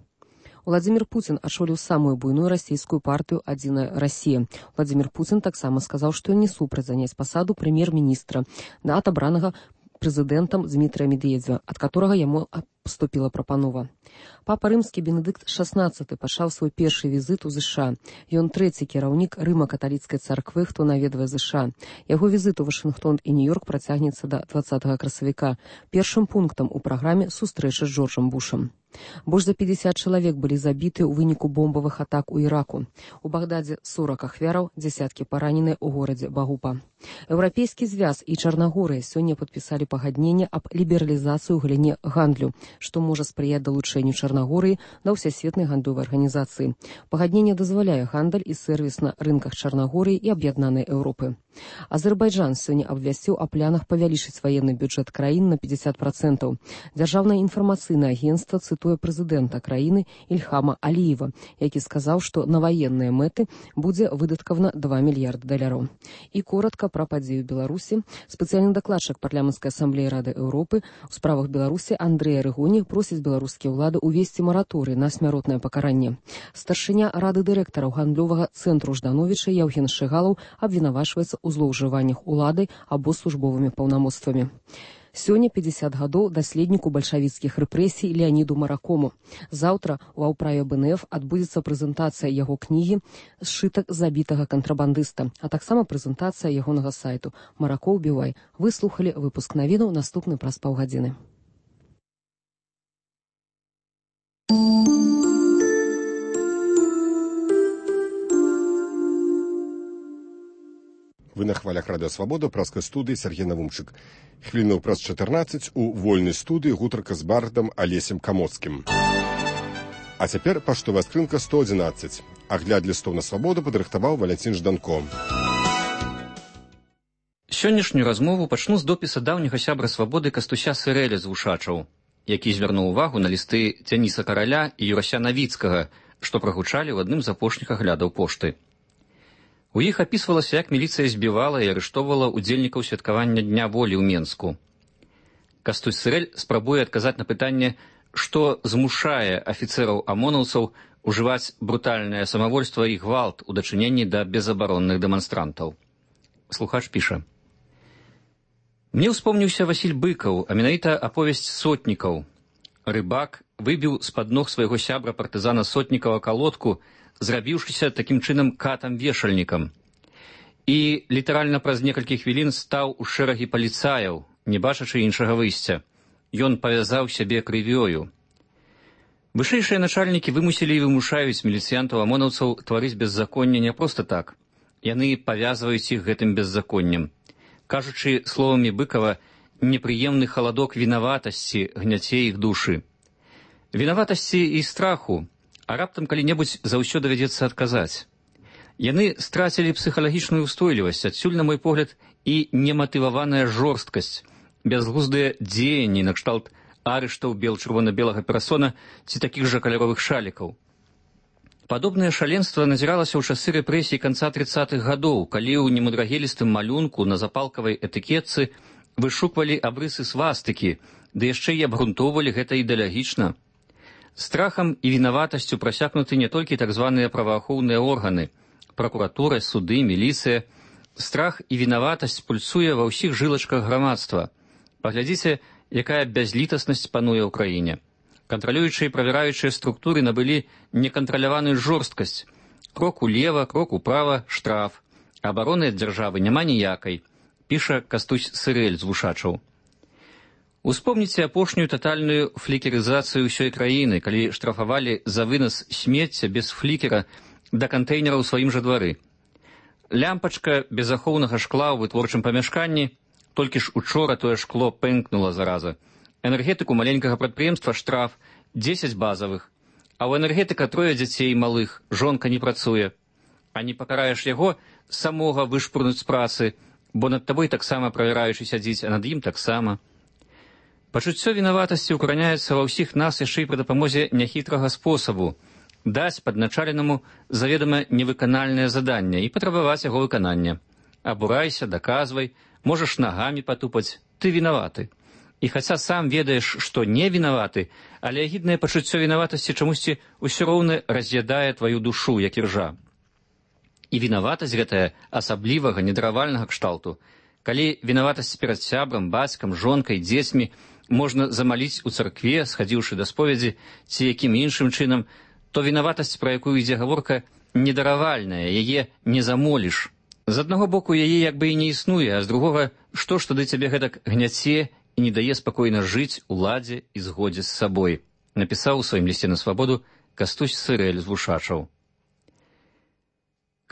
Уладзімір Пуцін ачоліў самую буйную расійскую партыю «Адзіная Расія». Уладзімір Пуцін таксама сказаў, што ён не супраць заняць пасаду прэм'ер-міністра ад абранага прэзідэнтам Дмітрыя Медведзева, ад которага яму паступіла прапанова. Папа рымскі Бенедыкт XVI пачаў свой першы візіт у ЗША. Ён трэці кіраўнік рыма-каталіцкай царквы, хто наведвае ЗША. Яго візіт у Вашынгтон і Нью-Йорк працягнецца да 20 красавіка. Першым пунктам у праграме сустрэча з Джорджам Бушам. Больш за 50 чалавек былі забіты ў выніку бомбавых атак у Іраку. У Багдадзе 40 ахвяраў, дзесяткі параненыя ў горадзе Багупа. Еўрапейскі звяз і Чарнагорыя сёння падпісалі пагадненне аб лібералізацыі ў галіне гандлю, што можа спрыяць далучэнню Чарнагорыі да ўсесветнай гандлёвай арганізацыі. Пагадненне дазваляе гандаль і сэрвіс на рынках Чарнагорыі і аб'яднанай Еўропы. Азербайджан сёння абвясціў о планах павялічыць ваенны бюджэт краіны на 50%. Дзяржаўнае інфармацыйнае агенцтва цытуе прэзідэнта краіны Ільхама Аліева, які сказаў, што на ваенныя мэты будзе выдаткавана $2 мільярды. І коратка пра падзею Беларусі. Спецыяльны дакладчык парламенцкай асамблеі Рады Еўропы у справах Беларусі Андрэй Арыгоні просіць беларускія ўлады увесці мараторый на смяротнае пакаранне. Старшыня Рады дырэктараў гандлёвага цэнтру Ждановіча Яўген Шыгалаў абвінавачваецца ў злоўжываннях уладай або службовымі паўнамоцтвамі. Сёння 50 гадоў даследніку бальшавіцкіх рэпрэсій Леаніду Маракому. Заўтра у аўправе БНФ адбудзецца прэзентацыя яго кнігі «Сшытак забітага кантрабандыста», а таксама прэзентацыя ягонага сайту «Маракоў Бівай». Вы слухалі выпуск навінаў, наступны праз паўгадзіны. Вы на хвалях радыё «Свабода» праскай студыі Сергей Навумчык. Хвілінаў праз 14 у вольнай студыі гутарка з бардам Алесем Камоцкім. А цяпер паштовая скрынка 111. Агляд лістоў на «Свабоду» падрыхтаваў Валянцін Жданко. Сённяшнюю размову пачну з допіса даўняга сябра «Свабоды» Кастуся Сырэля з Вушачаў, які звярнуў увагу на лісты Дзяніса Караля і Юрася Навіцкага, што прагучалі ў адным з апошніх аглядаў пошты. У іх апісвалася, як міліцыя збівала і арыштоўвала удзельнікаў святкавання Дня волі ў Менску. Кастусь Сырэль спрабуе адказаць на пытанне, што змушае афіцэраў-амонаўцаў ужываць брутальнае самавольства і гвалт у дачыненні да безабаронных дэманстрантаў. Слухач піша. Мне ўспомніўся Васіль Быкаў, а менавіта аповесць Сотнікаў. Рыбак выбіў з-пад ног свайго сябра партызана Сотнікава калодку, зрабіўшыся такім чынам катам-вешальнікам. І літаральна праз некалькі хвілін стаў у шэрагі паліцаяў, не бачачы іншага выйсця. Ён павязаў сябе крывёю. Вышэйшыя начальнікі вымусілі і вымушаюць міліцыянтаў-амонаўцаў тварыць беззаконне не проста так. Яны павязваюць іх гэтым беззаконнем. Кажучы словамі Быкава, непрыемны халадок вінаватасці гняце іх душы. Вінаватасці і страху, а раптам калі-небудзь заўсёды давядзецца адказаць. Яны страцілі псіхалагічную ўстойлівасць, адсюль, на мой погляд, і нематываваная жорсткасць, бязглуздыя дзеянні накшталт арыштаў бел-чырвона-белага перасона ці такіх жа каляровых шалікаў. Падобнае шаленства назіралася ў часы рэпрэсій канца 30-х гадоў, калі ў немудрагелістым малюнку на запалкавай этыкетцы вышуквалі абрысы свастыкі, ды яшчэ і абгрунтоўвалі гэта ідэалагічна. Страхам і вінаватасцю прасякнуты не толькі так званыя праваахоўныя органы, пракуратура, суды, міліцыя. Страх і вінаватасць пульсуе ва ўсіх жылачках грамадства. Паглядзіце, якая бязлітаснасць пануе ў краіне. Кантралюючыя і правяраючыя структуры набылі некантраляваную жорсткасць. Крок улева, крок управа, штраф. Абароны ад дзяржавы няма ніякай, піша Кастусь Сырэль з Вушачаў. Успомніце апошнюю татальную флікерызацыю ўсёй краіны, калі штрафавалі за вынас смецця без флікера да кантэйнера ў сваім жа двары. Лямпачка без ахоўнага шкла ў вытворчым памяшканні, толькі ж учора тое шкло пэнкнула зараза. Энергетыку маленькага прадпрыемства штраф 10 базавых, а ў энергетыка 3 дзяцей малых, жонка не працуе. А не пакараеш яго, самога вышпурнуць з працы, бо над табой таксама правяраючы сядзіць, а над ім таксама. Пачуццё вінаватасці ўкараняецца ва ўсіх нас яшчэ і пры дапамозе няхітрага спосабу даць падначаленаму заведама невыканальнае заданне і патрабаваць яго выканання. Абурайся, даказвай, можаш нагамі патупаць, ты вінаваты. І хаця сам ведаеш, што не вінаваты, але агіднае пачуццё вінаватасці чамусьці ўсё роўна раз'ядае тваю душу, як іржа. І вінаватасць гэтая асаблівага недаравальнага кшталту. Калі вінаватасць перад сябрам, бацькам, жонкай, дзецьмі можна замаліць у царкве, схадзіўшы да споведзі, ці якім іншым чынам, то вінаватасць, пра якую ідзе гаворка, недаравальная, яе не замоліш. З аднаго боку, яе як бы і не існуе, а з другога, што ж тады цябе гэтак гняце і не дае спакойна жыць у ладзе і згодзе з сабой, напісаў у сваім лісце на свабоду Кастусь Сырэль з Вушачаў.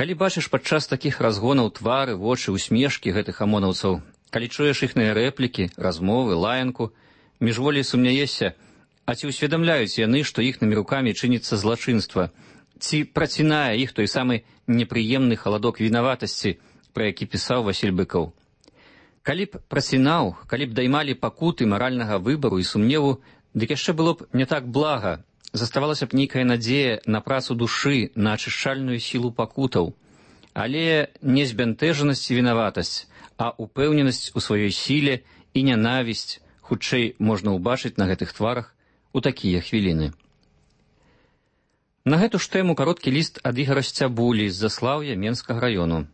Калі бачыш падчас такіх разгонаў твары, вочы, усмешкі гэтых амонаўцаў, калі чуеш іхныя рэплікі, размовы, лаянку, міжволі сумняешся, а ці ўсведамляюць яны, што іхнымі рукамі чыніцца злачынства, ці працінае іх той самы непрыемны халадок вінаватасці, пра які пісаў Васіль Быкаў. Калі б працінаў, калі б даймалі пакуты маральнага выбару і сумневу, дык яшчэ было б не так блага, заставалася б нейкая надзея на працу душы, на ачышчальную сілу пакутаў. Але не збянтэжанасць і вінаватасць, а упэўненасць у сваёй сіле і нянавісць хутчэй можна ўбачыць на гэтых тварах у такія хвіліны. На гэту ж тэму кароткі ліст ад Ігара Сцябулі з Заслаўя Менскага раёну.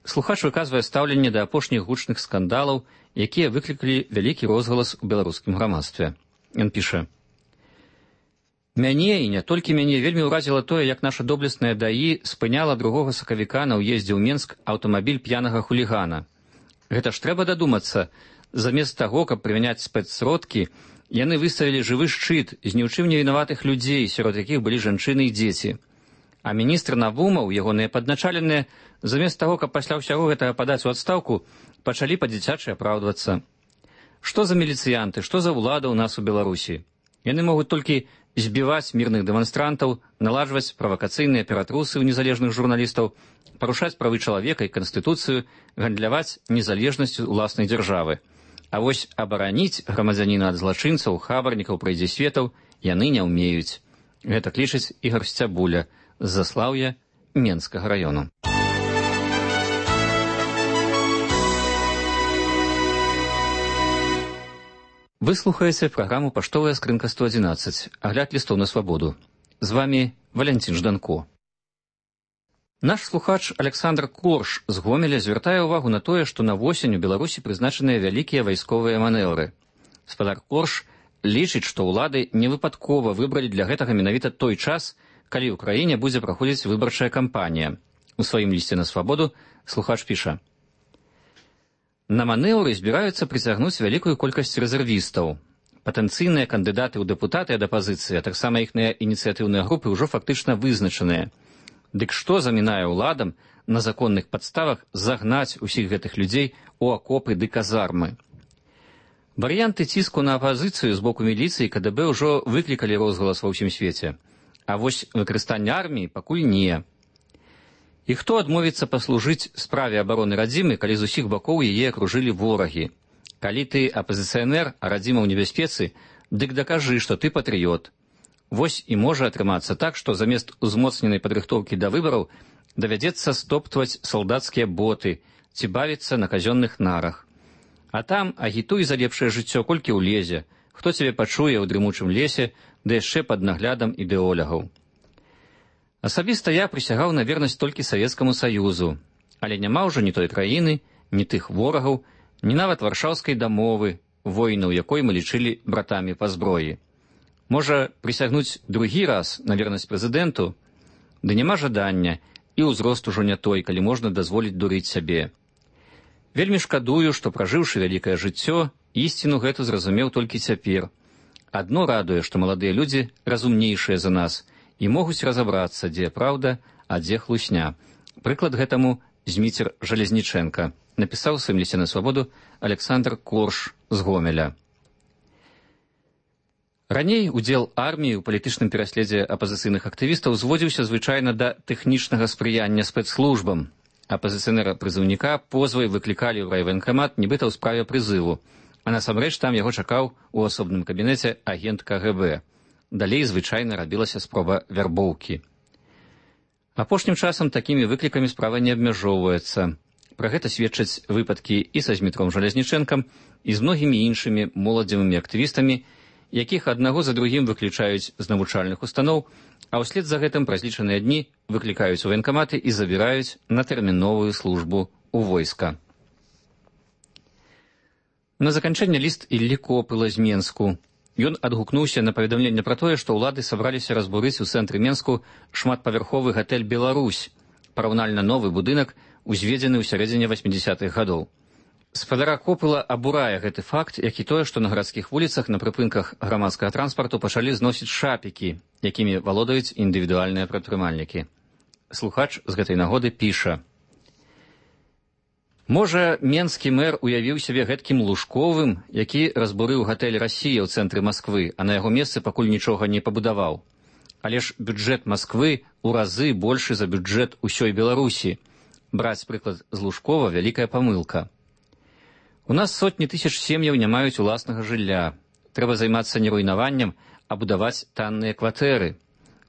Слухач выказвае стаўленне да апошніх гучных скандалаў, якія выклікалі вялікі розгалас у беларускім грамадстве. Ён піша: «Мяне, і не толькі мяне, вельмі ўразіла тое, як наша доблесная ДАІ спыняла 2 сакавіка на ўездзе ў Менск аўтамабіль п'янага хулігана. Гэта ж трэба дадумацца, замест таго, каб прымяняць спецсродкі, яны выставілі жывы шчыт з ні ў чым не вінаватых людзей, сярод якіх былі жанчыны і дзеці. А міністр Навумаў, ягоныя падначаленыя, замест таго, каб пасля ўсяго гэтага падаць у адстаўку, пачалі па-дзіцячы апраўдвацца. Што за міліцыянты, што за ўлада ў нас у Беларусі? Яны могуць толькі збіваць мірных дэманстрантаў, наладжваць правакацыйныя ператрусы ў незалежных журналістаў, парушаць правы чалавека і канстытуцыю, гандляваць незалежнасцю ўласнай дзяржавы. А вось абараніць грамадзяніна ад злачынцаў, хабарнікаў, прайдзісветаў яны не ўмеюць. Гэта лічыць Ігар Сцябуля з Заслаўя Менскага раёну. Вы слухаеце праграму «Паштовая скрынка 111», агляд лістоў на свабоду. З вами Валянцін Жданко. Наш слухач Александр Корж з Гомеля звяртае ўвагу на тое, што на восень у Беларусі прызначаныя вялікія вайсковыя манеўры. Спадар Корж лічыць, што ўлады невыпадкова выбралі для гэтага менавіта той час, калі ў краіне будзе праходзіць выбарчая кампанія. У сваім лісце на свабоду слухач піша: «На манеўры збіраюцца прыцягнуць вялікую колькасць рэзервістаў. Патэнцыйныя кандыдаты ў дэпутаты ад апазіцыі, а таксама іхныя ініцыятыўныя групы ўжо фактычна вызначаныя. Дык што замінае ўладам на законных падставах загнаць усіх гэтых людзей у акопы ды казармы? Варыянты ціску на апазіцыю з боку міліцыі і КДБ ўжо выклікалі розгалас ва ўсім свеце. А вось выкарыстанне арміі пакуль не. І хто адмовіцца паслужыць справе абароны радзімы, калі з усіх бакоў яе акружылі ворагі? Калі ты апазіцыянер, а радзіма ў небяспецы, дык дакажы, што ты патрыёт. Вось і можа атрымацца так, што замест узмоцненай падрыхтоўкі да выбараў давядзецца стоптваць салдацкія боты ці бавіцца на казённых нарах. А там агітуй за лепшае жыццё, колькі ўлезе, хто цябе пачуе ў дрымучым лесе, да яшчэ пад наглядам ідэолягаў. Асабіста я прысягаў на вернасць толькі Савецкаму Саюзу, але няма ўжо ні той краіны, ні тых ворагаў, ні нават варшаўскай дамовы, воінаў якой мы лічылі братамі па зброі. Можа, прысягнуць другі раз на вернасць прэзідэнту? Ды няма жадання, і ўзрост ужо не той, калі можна дазволіць дурыць сябе. Вельмі шкадую, што, пражыўшы вялікае жыццё, ісціну гэту зразумеў толькі цяпер. Адно радуе, што маладыя людзі разумнейшыя за нас і могуць разабрацца, дзе праўда, а дзе хлусня. Прыклад гэтаму Зміцер Жалезнічэнка, напісаў у сваім лісце на свабоду Александр Корш з Гомеля. Раней удзел арміі ў палітычным пераследзе апазіцыйных актывістаў зводзіўся звычайна да тэхнічнага спрыяння спецслужбам. Апазіцыянера-прызыўніка позвай выклікалі ў райваенкамат нібыта ў справе прызыву, а насамрэч там яго чакаў у асобным кабінеце агент КГБ. Далей звычайна рабілася спроба вярбоўкі. Апошнім часам такімі выклікамі справа не абмяжоўваецца. Пра гэта сведчаць выпадкі і са Змітром Жалезнічэнкам, і з многімі іншымі моладзевымі актывістамі, якіх аднаго за другім выключаюць з навучальных устаноў, а ўслед за гэтым праз лічаныя дні выклікаюць у ваенкаматы і забіраюць на тэрміновую службу ў войска. На заканчэнне ліст Іллі Копыла з Менску. Ён адгукнуўся на паведамленне пра тое, што ўлады сабраліся разбурыць у цэнтры Менску шматпавярховы гатэль «Беларусь», параўнальна новы будынак, узведзены ў сярэдзіне 80-х гадоў. Спадара Копыла абурае гэты факт, як і тое, што на гарадскіх вуліцах на прыпынках грамадскага транспарту пачалі зносіць шапікі, якімі валодаюць індывідуальныя прадпрымальнікі. Слухач з гэтай нагоды піша: «Можа, менскі мэр уявіў сябе гэткім Лужковым, які разбурыў гатэль «Расія» ў цэнтры Масквы, а на яго месцы пакуль нічога не пабудаваў. Але ж бюджэт Масквы ў разы большы за бюджэт усёй Беларусі. Браць прыклад з Лужкова – вялікая памылка. У нас сотні тысяч сем'яў не маюць уласнага жылля. Трэба займацца не руйнаваннем, а будаваць танныя кватэры.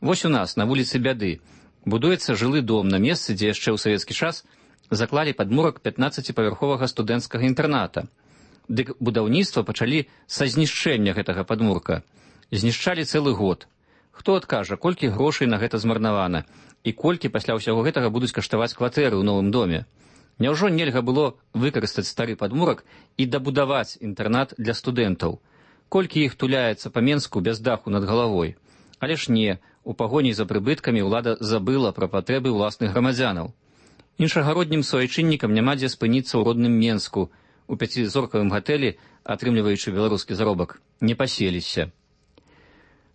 Вось у нас, на вуліцы Бяды, будуецца жылы дом на месцы, дзе яшчэ ў савецкі час заклалі падмурак 15-павярховага студэнцкага інтэрната. Дык будаўніцтва пачалі са знішчэння гэтага падмурка. Знішчалі цэлы год. Хто адкажа, колькі грошай на гэта змарнавана, і колькі пасля ўсяго гэтага будуць каштаваць кватэры ў новым доме? Няўжо нельга было выкарыстаць стары падмурак і дабудаваць інтэрнат для студэнтаў? Колькі іх туляецца па Менску без даху над галавой? Але ж не, у пагоні за прыбыткамі ўлада забыла пра патрэбы ўласных грамадзянаў. Іншагароднім суайчыннікам няма дзе спыніцца ў родным Менску, у 5-зоркавым гатэлі, атрымліваючы беларускі заробак, не паселіся.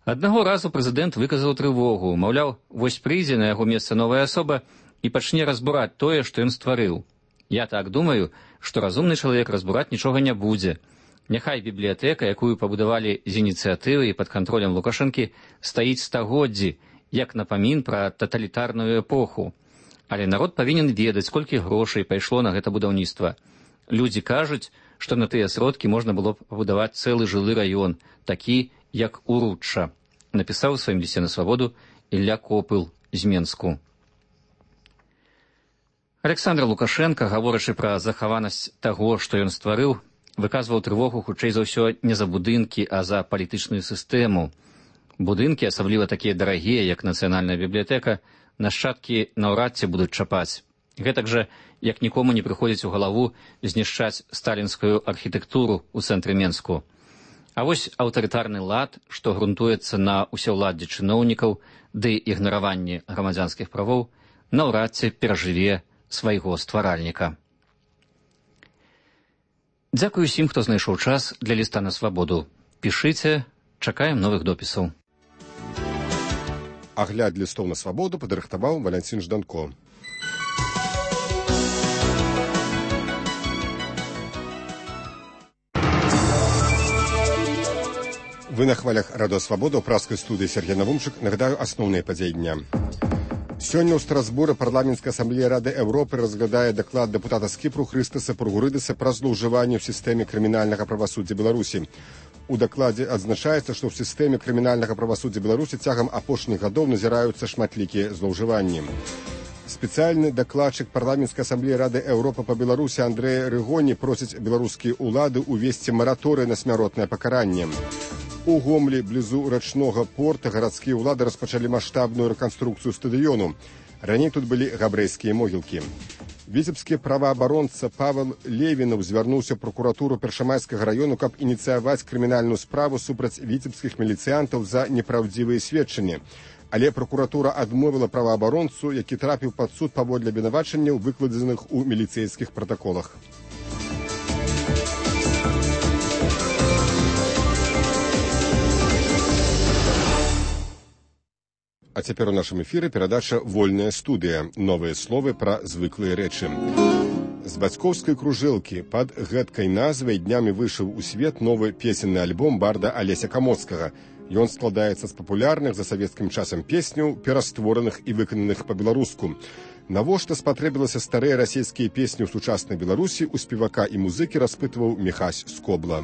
Аднаго разу прэзідэнт выказаў трывогу, маўляў, вось прыйдзе на яго месца новая асоба і пачне разбураць тое, што ён стварыў. Я так думаю, што разумны чалавек разбураць нічога не будзе. Няхай бібліятэка, якую пабудавалі з ініцыятывы і пад кантролем Лукашэнкі, стаіць стагоддзі, як напамін пра таталітарную эпоху. Але народ павінен ведаць, колькі грошай пайшло на гэта будаўніцтва. Людзі кажуць, што на тыя сродкі можна было б пабудаваць цэлы жылы раён, такі, як Уручча, напісаў у сваім лісце на свабоду Ілля Копыл з Менску. Александр Лукашенко, гаворачы пра захаванасць таго, што ён стварыў, выказваў трывогу хутчэй за ўсё не за будынкі, а за палітычную сістэму. Будынкі, асабліва такія дарагія, як Нацыянальная бібліятэка, нашчадкі наўрад ці будуць чапаць. Гэтак жа, як нікому не прыходзіць у галаву знішчаць сталінскую архітэктуру ў цэнтры Менску. А вось аўтарытарны лад, што грунтуецца на ўсеўладдзі чыноўнікаў ды ігнараванні грамадзянскіх правоў, наўрад ці перажыве свайго стваральніка. Дзякую усім, хто знайшоў час для ліста на свабоду. Пішыце, чакаем новых допісаў. Агляд лістоў на свабоду падрыхтаваў Валянцін Жданко. Вы на хвалях радыё Свабода ў праскай студыі Сергей Навумчык. Нагадаю асноўныя падзеі дня. Сёння ў Страсбуры парламенцкая асамблея Рады Еўропы разглядае даклад дэпутата з Кіпру Хрыстаса Пургурыдаса пра злоўжыванне ў сістэме крымінальнага правасуддзя Беларусі. У дакладзе адзначаецца, што ў сістэме крымінальнага правасуддзя Беларусі цягам апошніх гадоў назіраюцца шматлікія злоўжыванні. Спецыяльны дакладчык парламенцкай асамблеі Рады Еўропы па Беларусі Андрэй Рыгоні просіць беларускія ўлады ўвесці мараторый на смяротнае пакаранне. У Гомлі, блізу рачнога порта, гарадскія ўлады распачалі маштабную рэканструкцыю стадыёну. Раней тут былі габрэйскія могілкі. Віцебскі праваабаронца Павел Левінаў звярнуўся ў пракуратуру Першамайскага раёну, каб ініцыяваць крымінальную справу супраць віцебскіх міліцыянтаў за непраўдзівыя сведчанні. Але пракуратура адмовіла праваабаронцу, які трапіў пад суд паводле абвінавачанняў, выкладзеных у міліцэйскіх пратаколах. А цяпер у нашым эфіры перадача «Вольная студыя». Новыя словы пра звыклыя рэчы. З бацькоўскай кружэлкі пад гэткай назвай днямі выйшаў у свет новы песенны альбом барда Алеся Камоцкага. Ён складаецца з папулярных за савецкім часам песняў, пераствораных і выкананых па-беларуску. Навошта спатрэбілася старыя расійскія песні ў сучаснай Беларусі, у спевака і музыкі распытваў Міхась Скобла.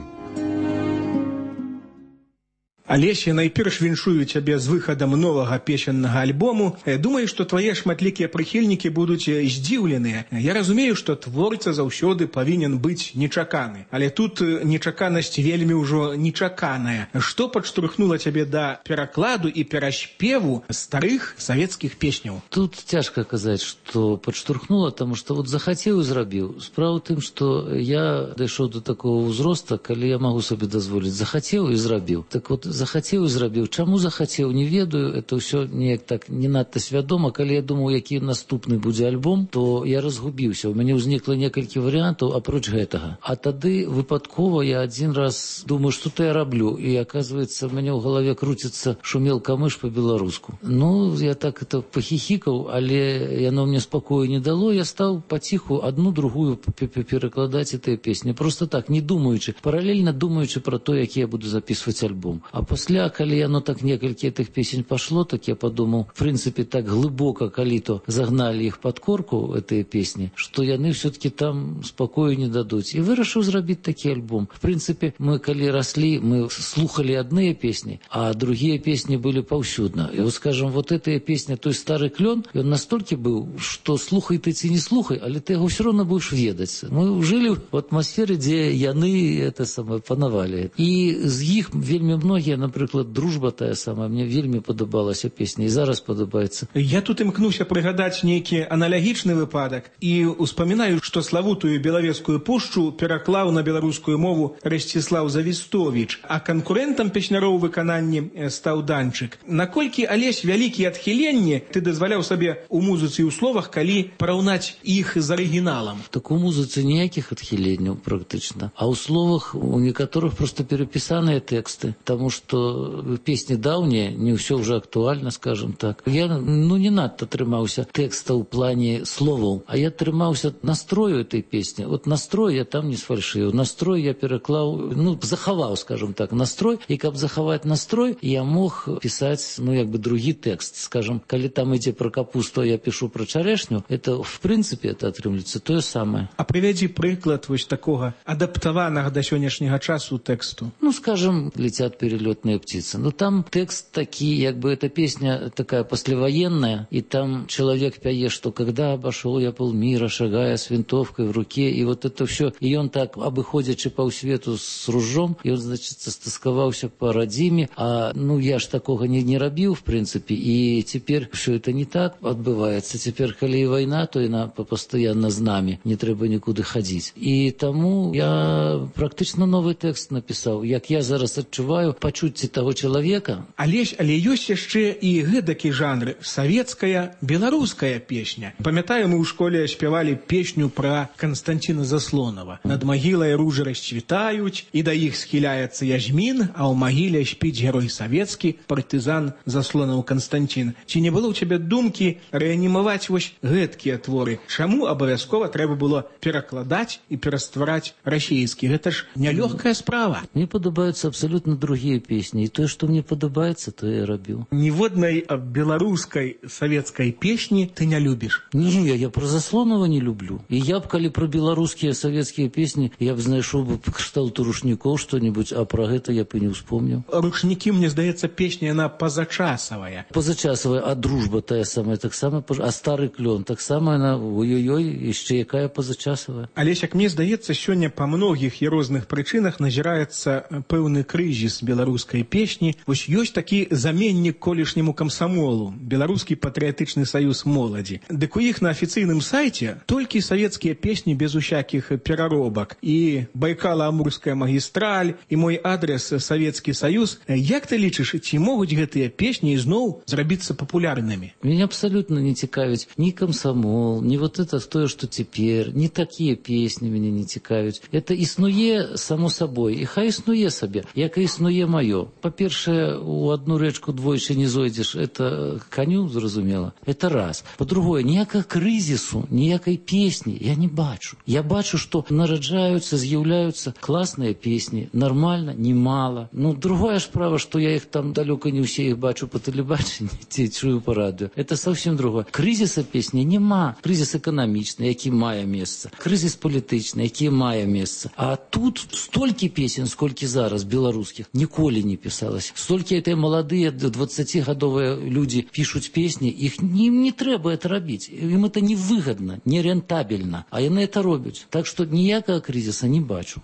Алеся, найперш віншую цябе з выхадам новага песеннага альбому. Думаю, што твае шматлікія прыхільнікі будуць здзіўленыя. Я разумею, што творца заўсёды павінен быць нечаканы. Але тут нечаканасць вельмі ўжо нечаканая. Што падштурхнула цябе да перакладу і пераспеву старых савецкіх песняў? Тут цяжка казаць, што падштурхнула, таму што вот захацеў і зрабіў. Справа ў тым, што я дайшоў до такого ўзроста, калі я магу сабе дазволіць. Захацеў і зрабіў. Так вот, захацеў і зрабіў. Чаму захацеў, не ведаю. Это ўсё неяк так не надта свядома. Калі я думаў, які наступны будзе альбом, то я разгубіўся. У мяне ўзнікла некалькі варыянтаў апроч гэтага. А тады выпадкова я адзін раз думаю, што то я раблю. І аказваецца, у мяне ў галаве круціцца «Шумел камыш» па-беларуску. Ну, я так это пахіхікаў, але яно мне спакою не дало. Я стаў паціху адну другую перакладаць гэтыя песні. Просто так, не думаючы, паралельна думаючы пра то, які я буду записываць альбом. А пасля, калі яно так некалькі гэтых песень пашло, так я падумаў, в прынцыпе, так глыбока, калі то загналі іх пад корку, гэтыя песні, што яны ўсё-таки там спакою не дадуць. І вырашыў зрабіць такі альбом. В прынцыпе, мы калі раслі, мы слухалі адныя песні, а другія песні былі паўсюдна. І вот, скажем, вот гэтая песня «Той стары клён», ён настолькі быў, што слухай ты ці не слухай, але ты яго ўсё роўна будзеш ведаць. Мы жылі в атмасферы, дзе яны это самае панавалі. І з іх вельмі многія, напрыклад, «Дружба» тая самая, мне вельмі падабалася песня, і зараз падабаецца. Я тут імкнуся прыгадаць нейкі аналагічны выпадак і успамінаю, што славутую Белавецкую пушчу пераклаў на беларускую мову Расціслаў Завістовіч, а канкурэнтам песняроў выкананні стаў Данчык. Наколькі, Алесь, вялікія адхіленні ты дазваляў сабе у музыцы і ў словах, калі параўнаць іх з арыгіналам? Так у музыцы ніякіх адхіленняў практычна, а ў словах у некаторых проста перапісаныя тэксты, таму што песні даўнія, не ўсё ўжо актуальна, скажем так. Я, не надта трымаўся тэкста ў плане словаў, а я трымаўся настрою этой песні. Вот настрой я там не сфальшыў. Настрой я пераклаў, захаваў, скажем так, настрой, і каб захаваць настрой, я мог пісаць, другі тэкст. Скажем, калі там ідзе пра капусту, я пішу пра чарэшню, это, в прынцыпе, это атрымліваецца тое самае. А прывядзі прыклад вось такога адаптаванага да сённяшняга часу тэксту. Скажем, «Летят перелетные птицы». Там текст такие, эта песня такая послевоенная, и там человек пяе, что когда обошел я полмира, шагая с винтовкой в руке, и вот это все, и он так, обыходячи по свету с ружом, и он, значит, стасковался по радзіме, а, я ж такого не рабіў, в принципе, и теперь все это не так отбывается. Теперь, коли война, то она постоянно з нами, не трэба никуда ходить. И тому я практично новый текст написал, як я зараз адчуваю пачуцці таго чалавека. Але ёсць яшчэ і гэдакі жанр савецкая, беларуская песня. Памятаю, мы ў школе спявалі песню пра Канстанціна Заслонава. Над магілай ружы расцвітаюць, і да іх схіляецца Язьмін, а ў магіле спіць герой савецкі, партызан Заслонаў Канстанцін. Ці не было ў цябе думкі рэанімаваць вось гэткія творы? Чаму абавязкова трэба было перакладаць і пераствараць расійскі? Гэта ж нялёгкая справа. Мне падабаюцца абсолютно другія песні. І тое, што мне падабаецца, то я рабіў. Ніводнай беларускай савецкай песні ты не любіш? Не, я про Заслонова не люблю. И я б, калі про беларускія савецкія песні, я б знайшоў бы кшталту рушнікоў што-нибудь, а про гэта я б і не ўспомніў. Рушнікі, мне здаецца, песня, яна пазачасавая. Пазачасавая, а дружба тая самая, таксама, а стары клён, таксама яна, ой-ой-ой, яшчэ якая пазачасавая. Алесь, як мне здаецца, сёння па многіх і розных прычынах назіраецца пэўны крызіс беларускай песні. Вось ёсць такі заменнік колішняму камсамолу, Беларускі патрыятычны саюз моладзі. Дык у іх на афіцыйным сайце толькі савецкія песні без усякіх пераробак. І Байкала-Амурская магістраль, і мой адрес Савецкі Саюз. Як ты лічыш, ці могуць гэтыя песні ізноў зрабіцца папулярнымі? Меня абсолютно не цікавіць ни комсомол, ни вот это тое, что теперь, ни такие песни меня не цікавіць. Это існуе само собой, і хай існуе сабе, як і існуе маё. Па-першае, у одну рэчку двойчы не зойдзеш, это коню, зразумела. Это раз. По-другое, ніякага крызісу, ніякай песні я не бачу. Я бачу, што нараджаюцца, з'яўляюцца класныя песні, нормально, немало. Ну, другая справа, што я их там далёка не ўсе их бачу по тэлебачанні, ці чую по радыё. Это совсем другое. Крызіса песні нема. Крызіс эканамічны, які мае месца. Крызіс палітычны, які мае месца. А тут столькі песен, сколькі зараз беларускіх, ніколі не пісалася. Столькі этой маладыя 20-гадовыя людзі пішуць песні, ім не трэба это рабіць. Ім это невыгодно, нерентабельно. А яны это робяць. Так што ніякага крызіса не бачу.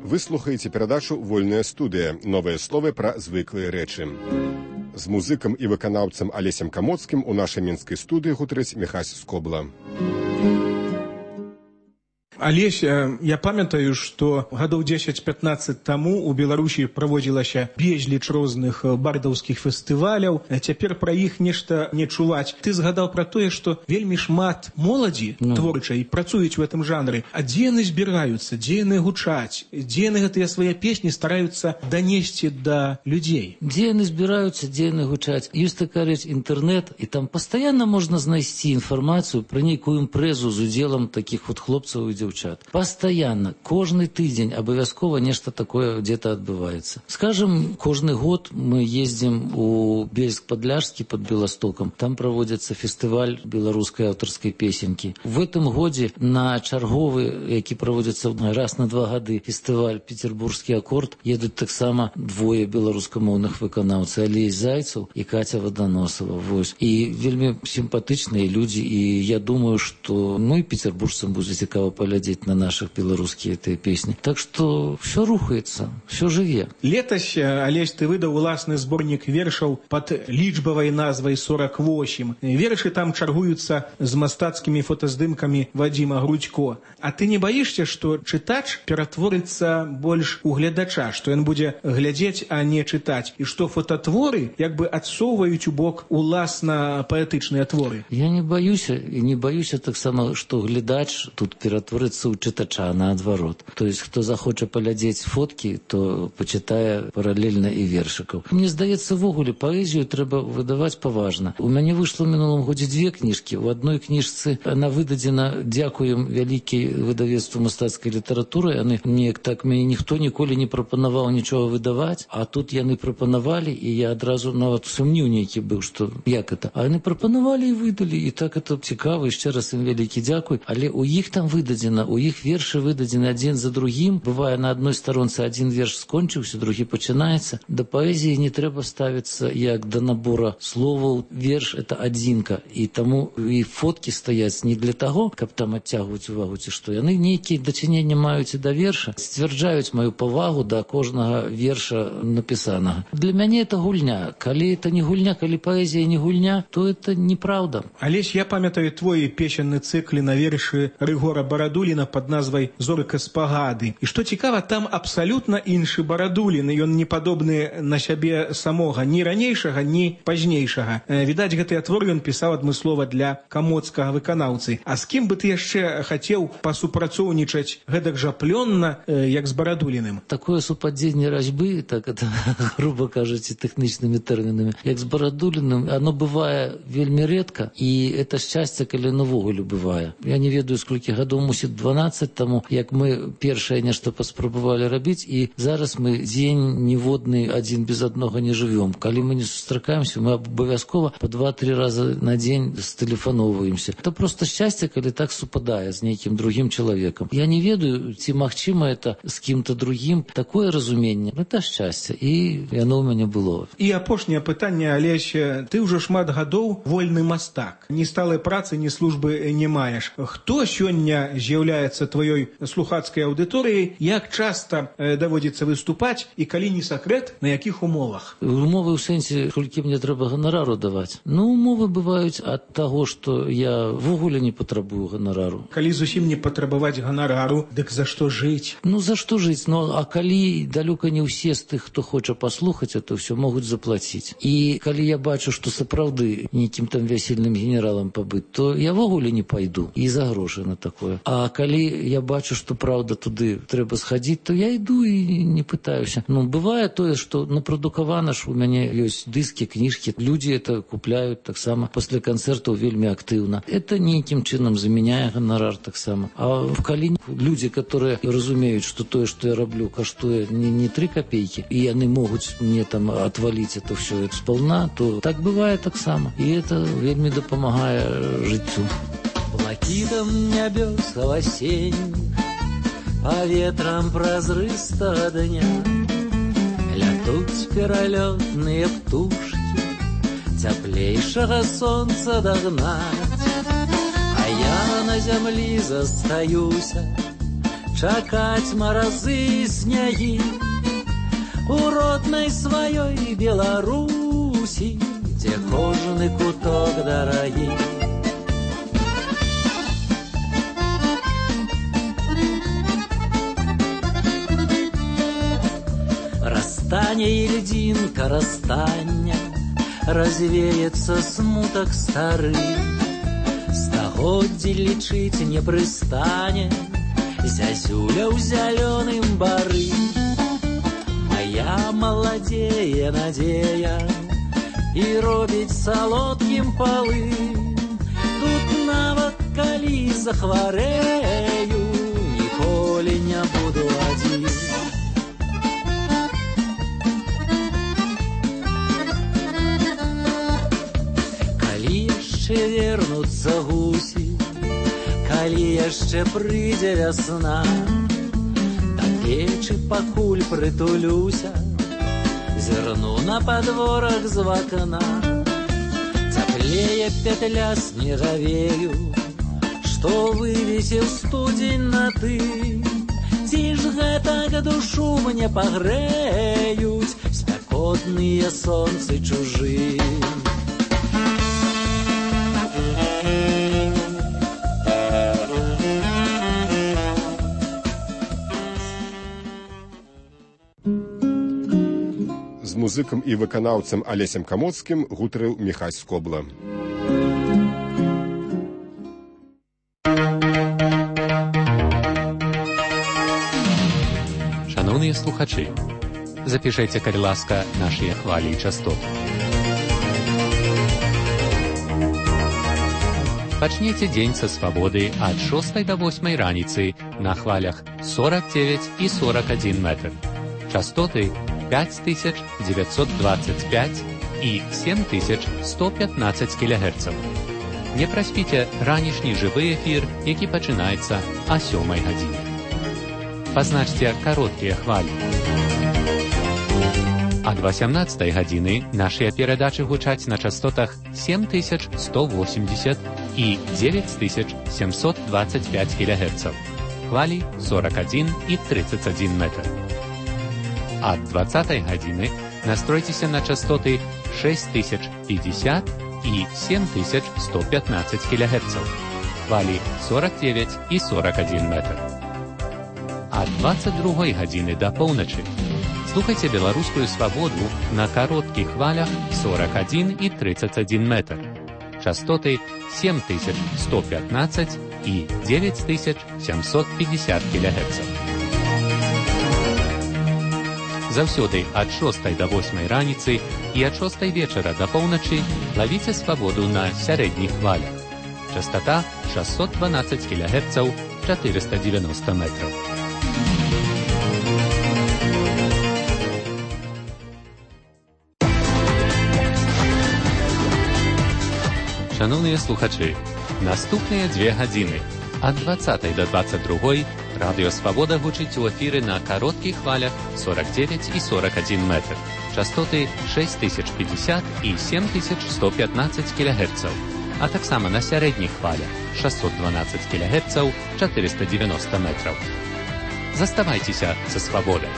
Вы слухаеце перадачу «Вольная студыя». Новыя словы пра звыклыя рэчы. З музыкам і выканаўцам Алесем Камоцкім у нашай мінскай студыі гутарыць Міхась Скобла. Алесь, я памятаю, што гадоў 10-15 таму у Беларусі праводзілася безліч розных бардаўскіх фестываляў. Цяпер пра іх нешта не чуваць. Ты згадаў пра тое, што вельмі шмат моладзі творчай працуюць у гэтым жанры. А дзе яны збіраюцца, дзе яны гучаць, дзе яны гэтыя свае песні стараюцца данесці да людзей? Дзе яны збіраюцца, дзе яны гучаць? Ёсць такая рэч інтэрнэт, і там пастаянна можна знайсці інфармацыю пра нейкую імпрэзу з удзелам такіх вот хлопцаў і дзяўчат. Постоянно, кожны тыдзень абавязкова нешта такое где-то адбываецца. Скажем, кожны год мы ездзім у Бельск-Падляшскі под Беластокам. Там праводзіцца фестываль беларускай аўтарскай песенькі. В этом годзе на чарговы, які праводзіцца раз на 2 гады, фестываль «Петербургскі акорд», едуць таксама двое беларускамоўных выканаўцаў, Алесь Зайцаў і Катя Водоносова. Вось. І вельмі сімпатычныя людзі, і я думаю, што і петербуржцам будзе цікава паглядзець на наших беларускія этой песни. Так что все рухается, все жыве. Летась, Алесь, ты выдаў уласны зборнік вершаў под лічбавай назвай 48. Вершы там чаргуюцца з мастацкімі фотаздымкамі Вадзіма Грудзько. А ты не баішся, што чытач ператворыцца больш у гледача, што ён будзе глядзець, а не чытаць, і што фототворы як бы адсоўваюць у бок уласна паэтычныя творы? Я не баюся, і не баюся таксама, што глядач тут ператворыцца у чытача, наадварот. То есть, хто захоча паглядзець фоткі, то пачытае паралельна і вершыкаў. Мне здаецца, ввогуле паэзію трэба выдаваць паважна. У мяне выйшла ў мінулым годзе 2 кніжкі. У адной кніжцы она выдадзена, дзякуем вялікай выдавецтву мастацкай літаратуры. Яны неяк так мяне ніхто ніколі не прапанаваў нічога выдаваць, а тут яны прапанавалі, і я адразу нават сумнеў нейкі быў, што як это. А яны прапанавалі і выдалі, і так это цікава, і яшчэ раз ім вялікі дзякуй. Але у іх там выдадзена, у іх вершы выдадзены адзін за другім. Бывае, на адной старонцы адзін верш скончыўся, другі пачынаецца. Да паэзіі не трэба ставіцца як да набора словаў. Верш — это адзінка. І таму і фоткі стаяць не для таго, каб там адцягваць увагу, ці што. Яны нейкія дачыненні маюць і да верша, сцвярджаюць маю павагу да кожнага верша напісанага. Для мяне это гульня. Калі это не гульня, калі паэзія не гульня, то это неправда. Алесь, я памятаю твой песенны цыкл на вершы Рыгора Барадуліна под назвай «Зорка спагады». І што цікава, там абсалютна іншы Барадулін, ён не падобны на сябе самога, ні ранейшага, ні пазнейшага. Відаць, гэты твор ён пісаў адмыслова для камоцкага выканаўцы. А з кім бы ты яшчэ хацеў пасупрацоўнічаць гэтак жа плённа, як з Барадуліным? Такое супадзенне разьбы, так это, грубо кажучи, тэхнічнымі тэрмінамі, як з Барадуліным, оно бывае вельмі рэдка, і это шчасце, калі навогуле бывае. Я не ведаю, сколькі гадоў мусіць 12, таму як мы першае нешта паспрабавалі рабіць, і зараз мы дзень ніводны адзін без аднога не жывём. Калі мы не сустракаемся, мы абавязкова по 2-3 разы на дзень стэлефаноўваемся. Это просто шчасце, калі так супадае з нейкім другім чалавекам. Я не ведаю, ці магчыма это з кім-то другім. Такое разуменне, это шчасце, і яно ў мяне было. І апошняе пытанне, Алесь, ты ўжо шмат гадоў вольны мастак. Ні сталай працы, ні службы не маеш. Хто сёння з'яўляецца тваёй слухацкай аўдыторыяй, як часта даводзіцца выступаць і калі не сакрэт, на якіх умовах? Умовы ў сэнсе, колькі мне трэба ганарару даваць. Ну, умовы бываюць ад таго, што я ввогуле не патрабую ганарару. Калі зусім не патрабаваць ганарару, дык за што жыць? Ну, за што жыць? Ну, а калі далёка не ўсе з тых, хто хоча паслухаць, это ўсё могуць заплаціць. І калі я бачу, што сапраўды нейкім там вясельным генералам пабыць, то я ввогуле не пайду і за грошы на такое. А калі я бачу, што праўда туды трэба схадзіць, то я іду і не пытаюся. Ну, бывае тое, што напрадукавана ж у мяне ёсць дыскі, кніжкі, людзі это купляюць таксама пасля канцэртаў вельмі актыўна. Это нейкім чынам заменяе ганарар таксама. А калі людзі, которые разумеюць, што тое, што я раблю, каштуе не 3 копейкі, і яны могуць мне там отваліць это все сполна, то так бывае таксама. І это вельмі дапамагае жыццю. Блакитом небес осенних, по ветрам прозрыстого дня летут перелетные птушки, теплейшего солнца догнать. А я на землі застаюся, чакать морозы и снеги у родной своей Беларуси, где кожаный куток дорогий. Растане и льдинка растане, развеется смуток старый, стагоддзі лічыць не прыстане зязюля ў зялёным бары. Моя маладзее надзея і робіць салодкім палы. Тут нават калі захварэю, ніколі не буду адзін. Вернуцца гусі, калі яшчэ прыйдзе вясна, да печы пакуль прытулюся, зірну на падворах з вакна. Цяплее петля снегавею, што вывесіў студзень на ты. Ці ж гэтак душу мне пагрэюць спякотныя сонцы чужы. Музыкам і выканаўцам Алесем Камоцкім гутарыў Міхась Скобла. Шановныя слухачы, запішайце, калі ласка, нашыя хвалі і частоты. Пачніце дзень са свабоды ад 6 до 8 раніцы на хвалях 49 і 41 метр. Частоты 5925 і 7115 кГц. Не праспіце ранішні жывы эфір, які пачынаецца о 7 гадзіне. Пазначце кароткія хвалі. Ад 18 гадзіны нашыя перадачы гучаць на частотах 7180 і 9725 кГц. Хвалі 41 і 31 метр. Ад 20 гадзіны настройцеся на частоты 6050 і 7115 кГц. Хвалі 49 і 41 метр. Ад 22 гадзіны да поўначы слухайце беларускую свабоду на кароткіх хвалях 41 і 31 метр. Частоты 7115 і 9750 кГц. Заўсёды ад 6 до 8 раніцы і ад 6 вечара да поўначы лавіце свабоду на сярэдніх хвалях. Частота 612 кГц 490 метров. Шановні слухачі, наступні 2 години ад 20 до 22 Радіо Свобода гучить у ефірі на коротких хвалях 49 і 41 метр. Частоти 6050 і 7115 кГц. А так само на середніх хвалях 612 кГц, 490 метрів. Заставайтеся со Свободой.